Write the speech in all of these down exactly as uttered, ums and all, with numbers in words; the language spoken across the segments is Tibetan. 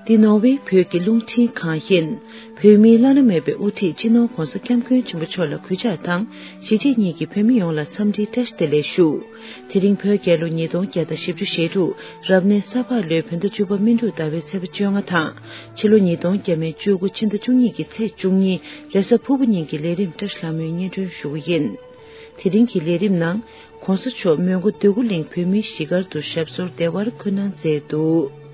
འདི་ནོར་ཝེ་བོད་ཀྱི་རླུང་འཕྲིན་ཁང་ཡིན། བོད་མིའི་བླ་ན་མེད་པའི་དབུ་ཁྲིད་སྤྱི་ནོར་༧གོང་ས་༧སྐྱབས་མགོན་ཆེན་པོ་མཆོག་ལ་གུས་ཕྱག་དང་གཞིས་བྱེས་གཉིས་ཀྱི་བོད་མི་ཡོངས་ལ་འཚམས་འདྲིའི་བཀྲ་ཤིས་བདེ་ལེགས་ཞུ། དེ་རིང་བོད་རྒྱལ་ལོ་ཉིས་སྟོང་བརྒྱ་དང་བཞི་བཅུ་ཞེ་དྲུག་རབ་གནས་ས་ཕག་ལོའི་བོད་ཟླ་བཅུ་པ་སྨིན་དྲུག་ཟླ་བའི་ཚེས་པ་བཅོ་ལྔ་དང་ཕྱི་ལོ་ཉིས་སྟོང་བརྒྱ་མེད་བཅུ་དགུ་ཕྱི་ཟླ་བཅུ་གཉིས་ཀྱི་ཚེས་བཅུ་གཉིས་རེས་གཟའ་ཕུར་བུ་ཉིན་གྱི་ལས་རིམ་བཀྲ་ཤིས་ལྷ་མོའི་སྙན་སྒྲོན་ཞུ་རྒྱུ་ཡིན། དེ་རིང་གི་ལས་རིམ་ནང་༧གོང་ས་མཆོག་མོན་གྷོ་འདོད་རྒུ་གླིང་བོད་མིའི་གཞིས་སྒར་དུ་ཞབས་སོར་བདེ་བར་འཁོད་གནང་མཛད་འདུག་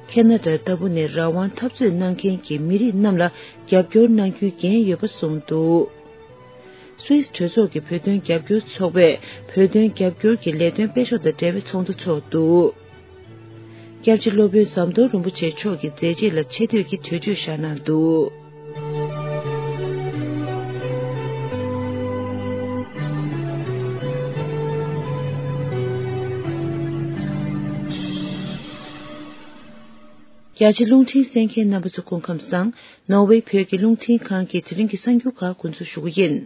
ཁེ་ན་ཌ་ལྟ་བུ་ནས་རང་དབང་འཐབ་རྩོད་གནང་མཁན་གྱི་མི་རིགས་རྣམས་ལ་རྒྱབ་སྐྱོར་གནང་རྒྱུའི་འགན་ཡོད་པ་གསུངས་འདུག་སུད་སི་གྲོས་ཚོགས་ཀྱི་བོད་དོན་རྒྱབ་སྐྱོར་ཚོགས་པས་བོད་དོན་རྒྱབ་སྐྱོར་གྱི་ལས་དོན་སྤེལ་ཕྱོགས་དང་འབྲེལ་བའི་ཚོགས་འདུ་འཚོགས་འདུག་སྐྱབས་རྗེ་སློབ་དཔོན་ཟམ་གདོང་རིན་པོ་ཆེ་མཆོག་གི་མཛད་རྗེས་ལ་ཆེ་བསྟོད་ཀྱི་གྲོས་ཆོད་བཞག་གནང་འདུག་རྒྱ་ཆེ་རླུང་འཕྲིན་གསན་མཁན་རྣམ་པ་ཚོ་སྐུ་ཁམས་བཟང་། ནོར་ཝེ་བོད་ཀྱི་རླུང་འཕྲིན་ཁང་གི་དེ་རིང་གི་གསར་འགྱུར་ཁག་འགོ་འཛུགས་ཞུ་གི་ཡིན།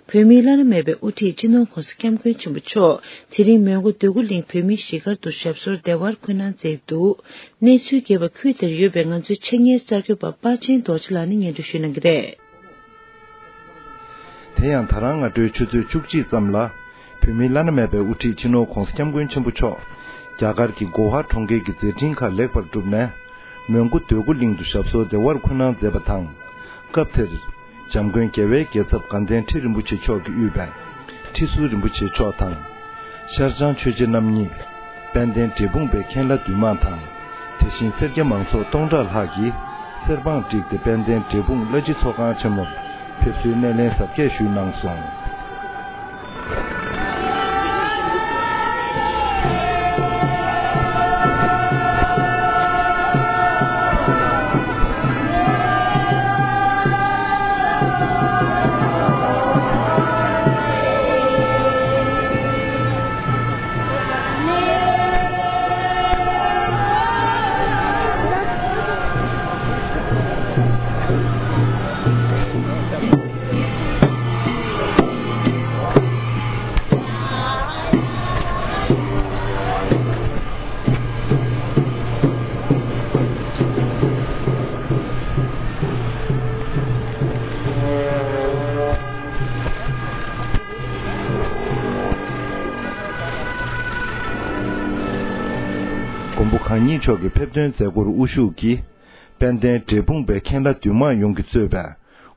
བོད་མིའི་བླ་ན་མེད་པའི་དབུ་ཁྲིད་སྤྱི་ནོར་༧གོང་ས་༧སྐྱབས་མགོན་ཆེན་པོ་མཆོག་དེ་རིང་མོན་གྷོ་འདོད་རྒུ་གླིང་བོད་མིའི་གཞིས་སྒར་དུ་ཞབས་སོར་བདེ་བར་འཁོད་གནང་མཛད་འདུག་གནས་ཚུལ་རྒྱས་པ་ཁུལ་དེར་ཡོད་པའི་ང་ཚོའི་ཆེད་གཉེར་གསར་འགོད་པ་དཔའ་ཆེན་རྡོ་རྗེ་ལགས་ནས་སྙན་སྒྲོན་ཞུ་གནང་གི་རེད། དེ་ཡང་ད་རང་སྔ་དྲོའི་ཆུ་ཚོད་བཅུ་གཅིག་ཙམ་ལ། བོད་མིའི་བླ་ན་མེད་པའི་དབུ་ཁྲིད་སྤྱི་ནོར་༧གོང་ས་༧སྐྱབས་མགོན་ཆེན་པོ་མཆོག་རྒྱ་གར་གྱི་གོ་ཧ་གྲོང་ཁྱེར་གྱི་མཛད་འཕྲིན་ཁག་ལེགས་པར་གྲུབ་ནས། མོན་གྷོ་འདོད་རྒུ་གླིང་དུ་ཞབས་སོར་བདེ་བར་འཁོད་གནང་མཛད་པ་དང་། སྐབས་དེར། འཇམ་མགོན་རྒྱལ་བའི་རྒྱལ་ཚབ་དགའ་ལྡན་ཁྲི་རིན་པོ་ཆེ་མཆོག་གིས་དབུས་པའི་ཁྲི་ཟུར་རིན་པོ་ཆེ་མཆོག་དང་། ཤར་བྱང་ཆོས་རྗེ་རྣམ་གཉིས། དཔལ་ལྡན་འབྲས་སྤུངས་པའི་མཁན་བླ་འདུས་མང་དང་། དེ་བཞིན་སེར་སྐྱ་མང་ཚོགས་སྟོང་ཕྲག་ལྷག་གིས་གསེར་བང་བསྒྲིགས་ཏེ་དཔལ་ལྡན་འབྲས་སྤུངས་བླ་སྤྱི་ཚོགས་ཁང་ཆེན་མོར་ཕེབས་བསུའི་སྣེ་ལེན་གཟབ་རྒྱས་ཞུས་གནང་སོང་། མགོན་པོ་གང་ཉིད་མཆོག་གི་ཕེབས་སྟོན་མཛད་སྒོར་དབུ་བཞུགས་ཀྱིས། དཔལ་ལྡན་འབྲས་སྤུངས་པའི་མཁན་བླ་འདུས་མང་ཡོངས་ཀྱིས་གཙོས་པའི་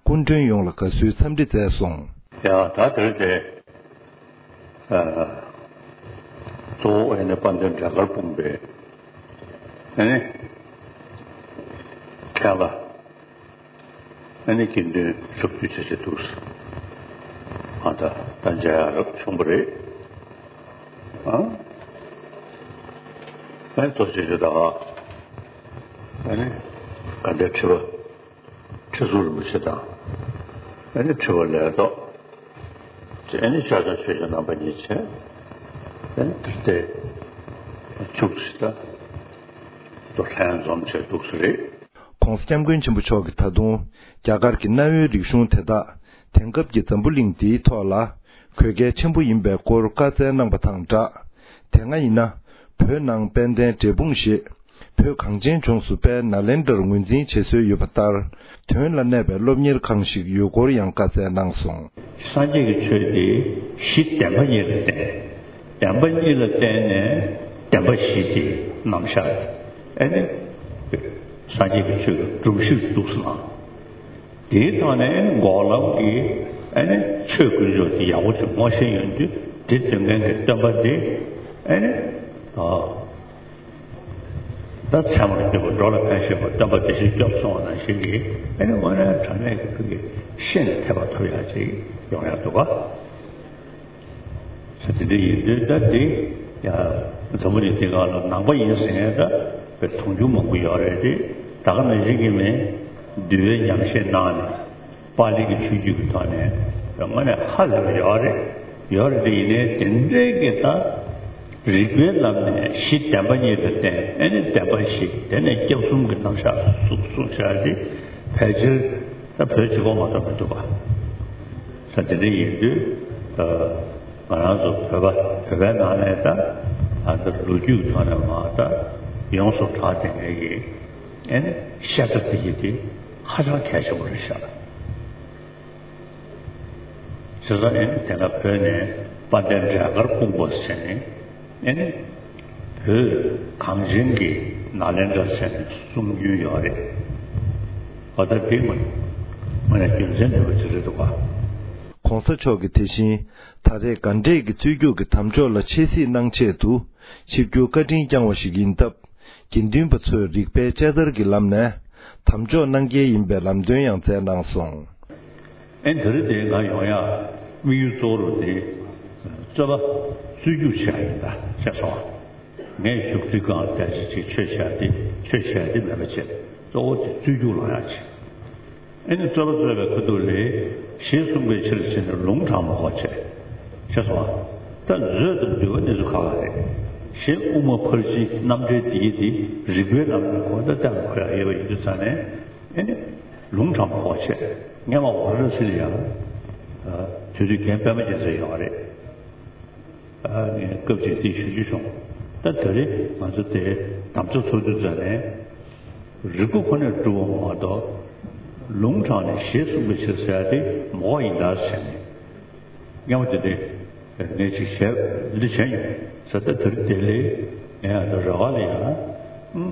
སྐུ་མགྲོན་ཡོངས་ལ་དགའ་བསུའི་འཚམས་འདྲི་མཛད་སོང་། ཡ་ད་དེར་དེ། གཙོ་བོ་ཨེ་ནི་དཔལ་ལྡན་འབྲས་དཀར་སྤུངས་པའི་ཨེ་ནི་མཁན་བླ་ཨེ་ནི་དགེ་འདུན་ཕྱོགས་བསྡུས་བྱས་བྱས་འདུག་ཨ་ད་ད་མཇལ་ཡག་རབ་བྱུང་བ་རེད། ཨ་ཨེ་ཐོ་ཆེ་ཆེ་ད་ཨེ་ནི་དགའ་ལྡན་ཁྲི་པ། ཁྲི་ཟུར་རིན་པོ་ཆེ་དང་། ཨ་ནི་ཁྲི་པ་ལས་ཐོག་དེ་ཨ་ནི་ཤར་བྱང་ཆོས་རྗེ་རྣམ་པ་གཉིས་བྱས། ཨ་ནི་དེར་བལྟས་བཅུག་ཅིག་ད་དོ་ལྷན་འཛོམས་བྱས་འདུག་ས་རེད། ༸གོང་ས་༸སྐྱབས་མགོན་ཆེན་པོ་མཆོག་གིས་ད་དུང་རྒྱ་གར་གྱི་གནའ་བོའི་རིག་གཞུང་དེ་དག་དེང་སྐབས་ཀྱི་འཛམ་བུ་གླིང་འདིའི་ཐོག་ལ་དགོས་གལ་ཆེན་པོ་ཡིན་པའི་སྐོར་བཀའ་སྩལ་གནང་བ་དང་སྦྲགས། དེ་སྔ་ཡིན་ན་བོད་ནང་དཔལ་ལྡན་འབྲས་སྤུངས་ཞེས། བོད་གངས་ཅན་ལྗོངས་སུ་དཔལ་ནཱ་ལེནྡྲར་ངོས་འཛིན་བྱེད་སྲོལ་ཡོད་པ་ལྟར། དོན་ལ་གནས་པའི་སློབ་གཉེར་ཁང་ཞིག་ཡོད་སྐོར་ཡང་བཀའ་སྩལ་གནང་སོང་། སངས་རྒྱས་ཀྱི་ཆོས་དེ་གཞི་བདེན་པ་གཉིས་ལ་བརྟེན། བདེན་པ་གཉིས་ལ་བརྟེན་ནས་བདེན་པ་བཞི་དེ་རྣམ་གཞག་ཨེ་ནི་སངས་རྒྱས་ཀྱི་ཆོས་ཀྱི་སྒྲོམ་གཞི་འདུག་སོང་ན། དེའི་ཐོག་ནས་འགོག་ལམ་གྱི་ཨེ་ནི་ཆོས་དཀོན་མཆོག་དེ་ཡག་པོ་ཞིག་ངོ་ཤེས་ཡོང་དུས་དེ་སྟོན་མཁན་གྱི་སྟོན་པ་དེ་ཨེ་ནི་ཨ། ད་ཚད་མར་གྱུར་པ་འགྲོ་ལ་ཕན་ཞེས་པ་སྟོན་པ་དེ་བཞིན་སྐྱོབ་སོང་བ་ནང་བཞིན་གྱི་ཨེ་ནི་དངོས་གནས་དྲང་གནས་ཀྱི་ཕུགས་ཀྱི་ཤེས་ནས་ཐེག་པ་ཐོབ་ཡག་ཅིག་ཡོང་ཡག་འདུག་ག་ས་དེ་འདྲ་ཡིན་དུས་ད་དེ་ཡ་འཛམ་བུ་གླིང་འདི་སྒང་ལ་ནང་པ་ཡིན་ཟེར་མཁན་ད་དཔེ་དུང་ཕྱུར་མང་པོ་ཡོད་རེད་དེ་ད་ག་ནང་བཞིན་གྱི་མིན་འདུལ་བའི་ཉམས་བཞེས་གནང་ནས། པཱ་ལི་གི་ཆོས་བརྒྱུད་ཀྱི་ཐོག་ནས་དངོས་གནས་ཧ་ལས་པ་ཡོད་རེད། ཡོད་རེད་དེ་ཡིན་ནའི་དེ་འདྲའི་གི་ད་རིགས་པའི་ལམ་ནས་གཞི་བདེན་པ་གཉིས་ལ་བརྟེན་ཨེ་ནི་བདེན་པ་བཞི་དེ་ནས་སྐྱབས་གསུམ་གྱི་རྣམ་གཞག་གསུངས་གསུངས་བཞག་དེ་ཕལ་ཆེར་ད་བོད་གཅིག་པོ་མ་གཏོགས་མི་འདུག་ག་ས་དེ་འདྲ་ཡིན་དུས་ང་རང་ཚོ་བོད་པ་བོད་པའི་ནང་ནས་ད་ད་ལོ་རྒྱུས་ཀྱི་ཐོག་ནས་མ་ད་ཡོངས་སུ་གྲགས་བསྡད་མཁན་གྱི། ཨེ་ནི་བཤད་གྲྭ་དེ་གི་དེ་ཧ་ཅང་གལ་ཆེན་པོ་རེད་ཤག་བྱས་ཙང་ཨེ་ནི་དེ་སྔ་བོད་ནས་དཔལ་ལྡན་འབྲས་དཀར་སྤུངས་པ་ཟེར་ནས་ཨེ་ནི་བོད་གངས་ཅན་གྱི་ནཱ་ལེནྡྲ་ཟེར་ནས་གསུང་རྒྱུན་ཡོད་རེད། འོ་ད་དེ་མ་མ་ནས་རྒྱུ་མཚན་ནུས་པ་ཅིག་རེད་འདུག་ག་གོང་ས་མཆོག་གིས་དེ་བཞིན་ད་རེས་དགའ་འབྲས་ཀྱི་རྩོད་རྒྱུགས་ཀྱི་དམ་འཇོག་ལ་ཆེད་གཟིགས་གནང་ཆེད་དུ་ཆིབས་བསྒྱུར་བཀའ་དྲིན་བསྐྱངས་བ་ཞིག་ཡིན་སྟབས། དགེ་འདུན་པ་ཚོས་རིག་པའི་དཔྱད་བརྡར་གྱི་ལམ་ནས་དམ་འཇོག་གནང་གལ་ཡིན་པའི་ལམ་སྟོན་ཡང་སྩལ་གནང་སོང་། ཨེ་ད་རེས་དེ་ང་ཡོང་ཡག་དམིགས་ཡུལ་གཙོ་བོ་དེ་རྩོད་པ་རྩོད་རྒྱུགས་བྱས་ཡིན་ད་བྱས་སོང་། ངས་བཞུགས་ཚུལ་གང་ལྟར་ཅིག་ཆོས་བཤད་དེ་ཆོས་བཤད་དེ་མེད་པ་བྱས་གཙོ་བོ་དེ་རྩོད་རྒྱུགས་ལངས་ཡག་བྱས། ཨེ་ནི་རྩོད་པ་རྩོད་པའི་ཁ་ཐུག་ལ་ཞེས་གསུངས་པའི་ཕྱིར་ཟེར་ནས་ལུང་དྲངས་པ་གོ་བྱས། ཤེས་སོང་ཨ། ད་མཛོད་དང་འདུལ་བ་གནས་ཚུལ་ཁག་ལ་རེད། ཞེས་དབུ་མ་ཕར་ཕྱིན་རྣམ་འགྲེལ་འདི་ཡི་འདི་རིགས་པའི་ལམ་ནས་གོ་ད་ལྟ་གོ་ཡག་ཡོད་པ་ཡིན་དུས་ཙང་ནས་ཨེ་ནི་ལུང་དྲངས་པ་གོ་བྱས། སྔས་མ་ཝཱ་ར་ཎ་སི་ལ་ཡང་དུས་ཚོད་རྒན་པད་མ་རྒྱལ་མཚན་ཡོད་རེད། ཨ་ནི་སྐབས་ཅིག་དེ་ཞུ་རྒྱུ་བྱུང་། ད་ད་རེས་ང་ཚོ་དེ་དམ་བཅའ་ཚོགས་འདུ་ཚོགས་ནས་རིག་པ་ཁོ་ནས་སྒྲུབ་པ་མ་གཏོགས་ལུང་དྲངས་ནས་ཞེས་གསུངས་པའི་ཕྱིར་ཟེར་ཡ་དེ་མ་གོ་ཡིན་ད་ཟེར་ནས་སྔ་མོ་དེ་དེ་ངས་ཅིག་བཤད་འདི་བྱས་ཡིན་ཟེར། ད་དེ་རིང་དེ་ལས་ངས་ཡང་ད་རེ་བ་ལ་ཡང་ཨུམ།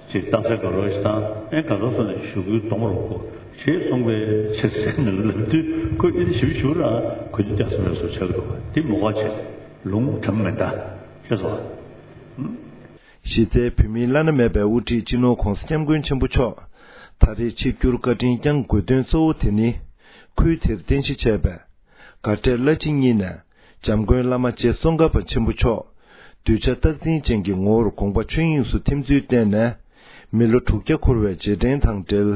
ཅིག་རྟགས་གསལ་ག་རོ་ཞིག་དང་ཨེ་ག་ཚོད་སོང་ནས་ཞུ་སྐུལ་གཏོང་རོགས་གོ་ཞེས་གསུངས་པའི་ཕྱིར་ཟེར་ནས་ལབ་དུས་ཁོས་ཨེ་ཞིབ་ཞུ་ར་གོ་རྒྱུ་རྒྱག་སོང་བས་སོ་ཆགས་འདུག་དེ་མ་གོ་བྱས་ལུང་དྲངས་མེད་ད་ཤེས་སོང་། གཞི་རྩའི་བོད་མིའི་བླ་ན་མེད་པའི་དབུ་ཁྲིད་སྤྱི་ནོར་༧གོང་ས་༧སྐྱབས་མགོན་ཆེན་པོ་མཆོག་ད་རེས་ཆིབས་བསྒྱུར་བཀའ་དྲིན་བསྐྱངས་དགོས་དོན་གཙོ་བོ་དེ་ནི། ཁུལ་དེར་རྟེན་གཞི་བྱས་པའི་དགའ་འབྲས་བླ་སྤྱི་གཉིས་ནས་འཇམ་མགོན་བླ་མ་རྗེ་ཙོང་ཁ་པ་ཆེན་པོ་མཆོག་གདུལ་བྱ་རྟག་འཛིན་ཅན་གྱི་ངོ་བོར་དགོངས་པ་ཆོས་དབྱིངས་སུ་ཐིམ་ཚུལ་བརྟེན་ནས། མི་ལོ་དྲུག་བརྒྱ་འཁོར་བའི་རྗེས་དྲན་དང་འབྲེལ་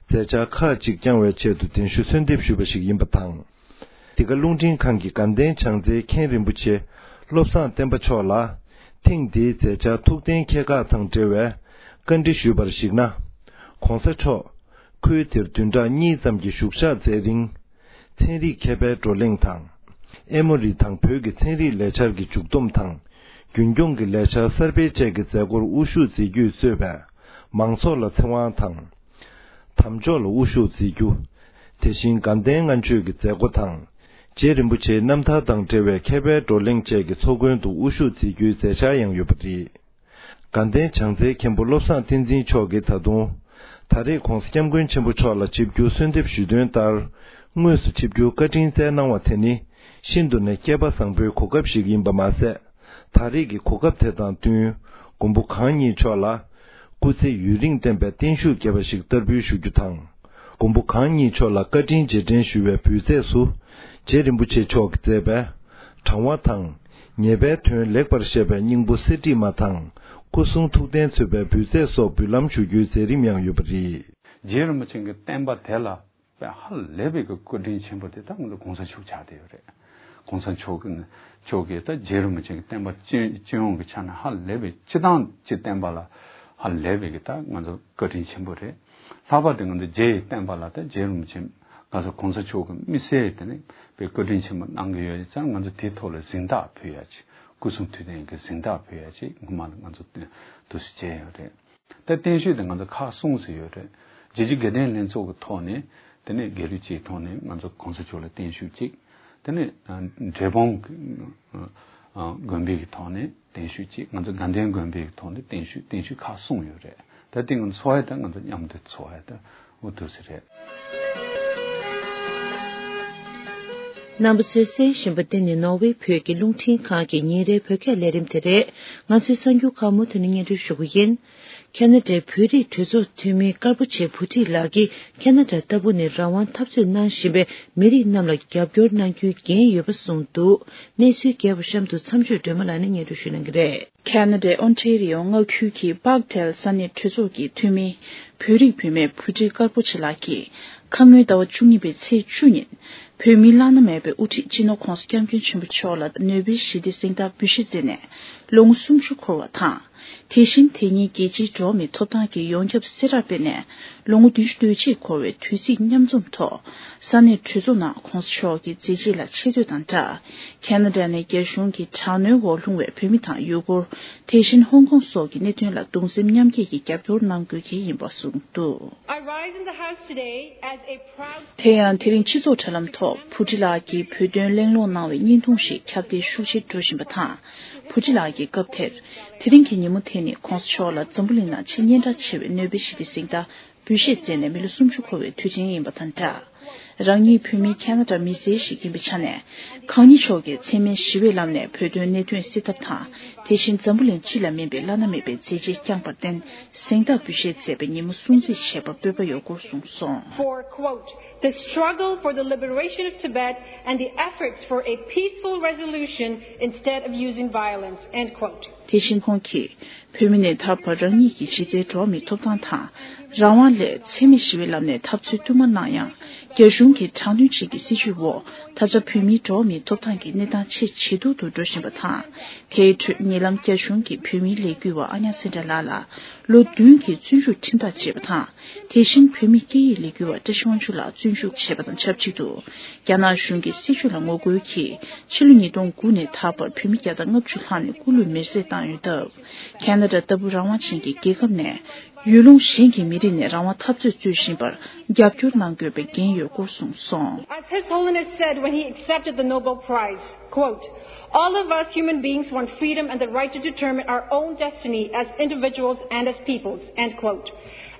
མཛད་འཆར་ཁག་ཅིག་བསྐྱང་བའི་ཆེད་དུ་གདན་ཞུ་གསོལ་འདེབས་ཞུས་པ་ཞིག་ཡིན་པ་དང་། འདི་ག་རླུང་འཕྲིན་ཁང་གི་དགའ་ལྡན་བྱང་རྩེའི་མཁན་རིན་པོ་ཆེ་བློ་བཟང་བསྟན་པ་མཆོག་ལ་ཐེངས་འདིའི་མཛད་འཆར་ཐུགས་གཏན་འཁེལ་ཁག་དང་འབྲེལ་བའི་བཀའ་འདྲི་ཞུས་པར་གཞིགས་ན། ༸གོང་ས་མཆོག་ཁུལ་དེར་བདུན་ཕྲག་གཉིས་ཙམ་གྱི་བཞུགས་ཞག་མཛད་རིང་། ཚན་རིག་མཁས་པའི་བགྲོ་གླེང་དང་། ཨེ་མོ་རི་དང་བོད་ཀྱི་ཚན་རིག་ལས་འཆར་གྱི་མཇུག་བསྡོམས་དང་། རྒྱུན་སྐྱོང་གི་ལས་འཆར་གསར་སྤེལ་བཅས་ཀྱི་མཛད་སྒོར་དབུ་བཞུགས་མཛད་རྒྱུས་གཙོས་པའི་མང་ཚོགས་ལ་ཚེ་དབང་དང་། དམ་འཇོག་ལ་དབུ་བཞུགས་མཛད་རྒྱུ། དེ་བཞིན་དགའ་ལྡན་ལྔ་མཆོད་ཀྱི་མཛད་སྒོ་དང་། རྗེ་རིན་པོ་ཆེའི་རྣམ་ཐར་དང་འབྲེལ་བའི་མཁས་པའི་བགྲོ་གླེང་བཅས་ཀྱི་ཚོགས་མགོན་དུ་དབུ་བཞུགས་མཛད་རྒྱུའི་མཛད་འཆར་ཡང་ཡོད་པ་རེད། དགའ་ལྡན་བྱང་རྩེའི་མཁན་པོ་བློ་བཟང་བསྟན་འཛིན་མཆོག་གིས་ད་དུང་། ད་རེས་༸གོང་ས་༸སྐྱབས་མགོན་ཆེན་པོ་མཆོག་ལ་ཆིབས་བསྒྱུར་གསོལ་འདེབས་ཞུས་དོན་ལྟར། དངོས་སུ་ཆིབས་བསྒྱུར་བཀའ་དྲིན་སྩལ་གནང་བ་དེ་ནི། ཤིན་ཏུ་ནས་སྐལ་པ་བཟང་པོའི་གོ་སྐབས་ཤིག་ཡིན་པ་མ་ཟད། ད་རེས་ཀྱི་གོ་སྐབས་དེ་དང་བསྟུན། མགོན་པོ་གང་ཉིད་མཆོག་ལ། སྐུ་ཚེ་ཡུན་རིང་བརྟན་པའི་བརྟན་བཞུགས་རྒྱས་པ་ཞིག་བསྟར་འབུལ་ཞུ་རྒྱུ་དང་། མགོན་པོ་གང་ཉིད་མཆོག་ལ་བཀའ་དྲིན་རྗེས་དྲན་ཞུ་བའི་འབུལ་རྫས་སུ། རྗེ་རིན་པོ་ཆེ་མཆོག་གིས་མཛད་པའི། དྲང་བ་དང་། ཉེས་པའི་དོན་ལེགས་པར་བཤད་པའི་སྙིང་པོ་གསེར་བྲིས་མ་དང་། སྐུ་གསུང་ཐུགས་རྟེན་མཚོན་པའི་འབུལ་རྫས་སོགས་འབུལ་ལམ་ཞུ་རྒྱུའི་མཛད་རིམ་ཡང་ཡོད་པ་རེད། རྗེ་རིན་པོ་ཆེ་གི་བསྟན་པ་དེ་ལ་དཔེ་ཧ་ལས་པའི་གི་བཀའ་དྲིན་ཆེན་པོ་དེ་ད་ང་ཚོ་གོང་ས་མཆོག་ཆགས་བསྡད་ཡོད་རེད། གོང་ས་མཆོག་གི་མཆོག་གིས་ད་རྗེ་རིན་པོ་ཆེ་གི་བསྟན་པ་སྤྱི་སྤྱི་ཡོངས་ཀྱི་ཆ་ནས་ཧ་ལས་པའི་སྤྱི་བཏང་སྤྱི་བསྟན་པ་ལ་ཧ་ལས་པའི་གི་ད་ང་ཚོ་བཀའ་དྲིན་ཆེན་པོ་རེད། ལྷག་པར་དུ་ང་ཚོ་རྗེ་ཡི་བསྟན་པ་ལ་ད་རྗེ་རིན་པོ་ཆེ་ང་ཚོ་གོང་ས་མཆོག་གི་དམིགས་བསལ་དེ་ནས་དཔེ་བཀའ་དྲིན་ཆེན་པོ་གནང་གི་ཡོད་ཙང་ང་ཚོ་དེའི་ཐོག་ལ་གཟེངས་རྟགས་ཕུལ་ཡ་ཅིག་སྐུ་གསུང་ཐུགས་རྟེན་གྱི་གཟེངས་རྟགས་ཕུལ་ཡ་ཅིག་སྔོན་མ་ལ་ང་ཚོ་འདུག་སེ་བྱས་ཡོད་རེད། ད་བརྟན་བཞུགས་དེ་ང་ཚོ་ཁག་གསུམ་ཙམ་ཡོད་རེད། རྗེ་བཙུན་དགའ་ལྡན་ལྷན་ཚོགས་ཀྱི་ཐོག་ནས་དེ་ནས་དགེ་ལུགས་སྤྱིའི་ཐོག་ནས་ང་ཚོ་གོང་ས་མཆོག་ལ་བརྟན་བཞུགས་གཅིག་དེ་ནས་འབྲས་སྤུངས་ཀྱི་དགོན་པའི་གི་ཐོག་ནས་བརྟན་བཞུགས་གཅིག་ང་ཚོ་དགའ་ལྡན་དགོན་པའི་གི་ཐོག་ནས་བརྟན་བཞུགས་བརྟན་བཞུགས་ཁག་གསུམ་ཡོད་རེད། ད་དེ་ང་ཚོ་འཚོགས་ཡ་ད་ང་ཚོ་མཉམ་དུ་འཚོགས་ཡ་ད་འོ་འདུག་སེ་རེད། རྣམ་པ་ཚོས་གསན་བཞིན་པ་འདི་ནི་ནོར་ཝེ་བོད་ཀྱི་རླུང་འཕྲིན་ཁང་གི་ཉིན་རེའི་བོད་སྐད་ལས་རིམ་དེ་རེད། ང་ཚོའི་གསར་འགྱུར་ཁག་མུ་མཐུད་ནས་སྙན་སྒྲོན་ཞུ་གི་ཡིན། ཁ་ན་ཌའི་བོད་རིགས་གྲོས་ཚོགས་འཐུས་མི་དཀར་པོ་ཆེ་བུ་ཁྲིད་ལགས་ཀྱིས་ཁ་ན་ཌ་ལྟ་བུ་ནས་རང་དབང་འཐབ་རྩོད་གནང་བཞིན་པའི་མི་རིགས་རྣམས་ལ་རྒྱབ་སྐྱོར་གནང་རྒྱུའི་འགན་ཡོད་པ་གསུངས་འདུག་གནས་ཚུལ་རྒྱས་པ་གཤམ་དུ་མཚམས་གཅོད་སྒྲོལ་མ་ལགས་ནས་སྙན་སྒྲོན་ཞུ་གནང་གི་རེད། ཁ་ན་ཌའི་ཨོན་ཊེ་རི་ཡོ་མངའ་ཁུལ་གྱི་པག་ཏེལ་ས་གནས་གྲོས་ཚོགས་ཀྱི་འཐུས་མི་བོད་རིགས་བུད་མེད་བུ་ཁྲིད་དཀར་པོ་ཆེ་ལགས་ཀྱིས། ཁ་སྔོན་ཟླ་བ་བཅུ་གཉིས་པའི་ཚེས་བཅུ་ཉིན། བོད་མིའི་བླ་ན་མེད་པའི་དབུ་ཁྲིད་སྤྱི་ནོར་༧གོང་ས་༧སྐྱབས་མགོན་ཆེན་པོ་མཆོག་ལ་ནོ་བེལ་ཞི་བདེའི་གཟེངས་རྟགས་འབུལ་བཞེས་མཛད་ནས་ལོ་ངོ་སུམ་ཅུ་འཁོར་བ་དང་། དེ་བཞིན་དེ་ཉིན་རྒྱལ་སྤྱིའི་འགྲོ་བ་མིའི་ཐོབ་ཐང་གི་ཡོངས་ཁྱབ་གསལ་བསྒྲགས་སྤེལ་ནས་ལོ་ངོ་བདུན་ཅུ་དོན་གཅིག་འཁོར་བའི་དུས་ཚིགས་མཉམ་འཛོམས་ཐོག་ས་གནས་གྲོས་ཚོགས་ནང་༧གོང་ས་མཆོག་གི་མཛད་རྗེས་ལ་ཆེ་བསྟོད་དང་སྦྲགས། ཁ་ན་ཌ་ནས་རྒྱ་གཞུང་གི་དྲག་གནོན་འོག་ལྷུང་བའི་བོད་མི་དང་ཡུ་གུར། དེ་བཞིན་ཧོང་ཀོང་སོགས་ཀྱི་གནད་དོན་ལ་གདུང་སེམས་མཉམ་སྐྱེད་ཀྱི་རྒྱབ་སྐྱོར་གནང་དགོས་ཀྱི་ཡིན་པ་གསུངས་འདུག I rise in the House today as a proud དེ་ཡང་དེ་རིང་སྤྱི་ཚོགས་དྲ་ལམ་ཐོག་བུ་ཁྲིད་ལགས་ཀྱིས་བོད་དོན་གླེང་སློང་གནང་བའི་བརྙན་ཐུང་ཞིག་ཁྱབ་གདལ་ཤུགས་ཆེ་འགྲོ་བཞིན་པ་དང་། བུ་ཁྲིད་ལགས་ཀྱིས་སྐབས་དེར། དེ་རིང་གི་ཉིན་མོ་དེ་ནི་༧གོང་ས་མཆོག་ལ་འཛམ་བུ་གླིང་ནང་ཆེས་སྙན་གྲགས་ཆེ་བའི་ནོ་བེལ་ཞི་བདེའི་གཟེངས་རྟགས་འབུལ་བཞེས་མཛད་ནས་མི་ལོ་སུམ་ཅུ་འཁོར་བའི་དུས་ཆེན་ཡིན་པ་དང་སྦྲགས། རང་ཉིད་བོད་མིའི་ཁ་ན་ཌ་མི་སེར་ཞིག་ཡིན་པའི་ཆ་ནས། གང་ཉིད་མཆོག་གིས་འཚེ་མེད་ཞི་བའི་ལམ་ནས་བོད་དོན་གནད་དོན་སེལ་ཐབས་དང་། དེ་བཞིན་འཛམ་བུ་གླིང་སྤྱི་ལ་སྨན་པའི་བླ་ན་མེད་པའི་མཛད་རྗེས་བསྐྱངས་པར་བརྟེན། གཟེངས་རྟགས་འབུལ་བཞེས་མཛད་པའི་ཉིན་མོ་སྲུང་བརྩི་བྱེད་པར་སྤོབས་པ་ཡོད་སྐོར་གསུངས་སོང་། For, quote, the struggle for the liberation of Tibet and the efforts for a peaceful resolution instead of using violence, end quote. དེ་བཞིན་ཁོང་གིས། བོད་མི་ནས་ད་བར་རང་ཉིད་ཀྱི་གཞི་རྩའི་འགྲོ་བ་མིའི་ཐོབ་ཐང་དང་། རང་དབང་ལས་འཚེ་མེད་ཞི་བའི་ལམ་ནས་འཐབ་རྩོད་བསྟུད་མར་གནང་ཡང་། རྒྱ་གཞུང་གི་དྲག་གནོན་བཅས་ཀྱི་སྲིད་བྱུས་འོག་ད་ཆ་བོད་མིའི་འགྲོ་བ་མིའི་ཐོབ་ཐང་གི་གནས་སྟངས་ཆེས་ཇེ་སྡུག་ཏུ་འགྲོ་བཞིན་པ་དང་། དེའི་ཁྲོད་ཉེ་ལམ་རྒྱ་གཞུང་གིས་བོད་མིའི་ལས་འགུལ་བ་ཨ་ཉ་སེན་དྲ་ལགས་ལ་ལོ་བདུན་གྱི་བཙོན་འཇུག་ཁྲིམས་ཐག་བཅད་པ་དང་། དེ་བཞིན་བོད་མིའི་སྐད་ཡིག་ལས་འགུལ་བ་བཀྲ་ཤིས་དབང་ཕྱུག་ལགས་བཙོན་འཇུག་བྱས་པ་དང་ཆབས་ཅིག་ཏུ། རྒྱ་ནག་གཞུང་གི་སྲིད་བྱུས་ལ་ངོ་རྒོལ་གྱིས་ཕྱི་ལོ་ཉིས་སྟོང་དགུ་ནས་ད་བར་བོད་མི་བརྒྱ་དང་ལྔ་བཅུ་ལྷག་ནས་སྐུ་ལུས་མེར་སྲེག་བཏང་ཡོད་སྟབས། ཁ་ན་ཌ་ལྟ་བུ་རང་དབང་ཅན་གྱི་རྒྱལ་ཁབ་ནས་ཡུལ་ལུང་གཞན་གྱི་མི་རིགས་ནས་རང་དབང་འཐབ་རྩོད་རྩོད་བཞིན་པར་རྒྱབ་སྐྱོར་གནང་དགོས་པའི་འགན་ཡོད་སྐོར་གསུངས་སོང་། As His Holiness said when he accepted the Nobel Prize, quote, "All of us human beings want freedom and the right to determine our own destiny as individuals and as peoples," end quote.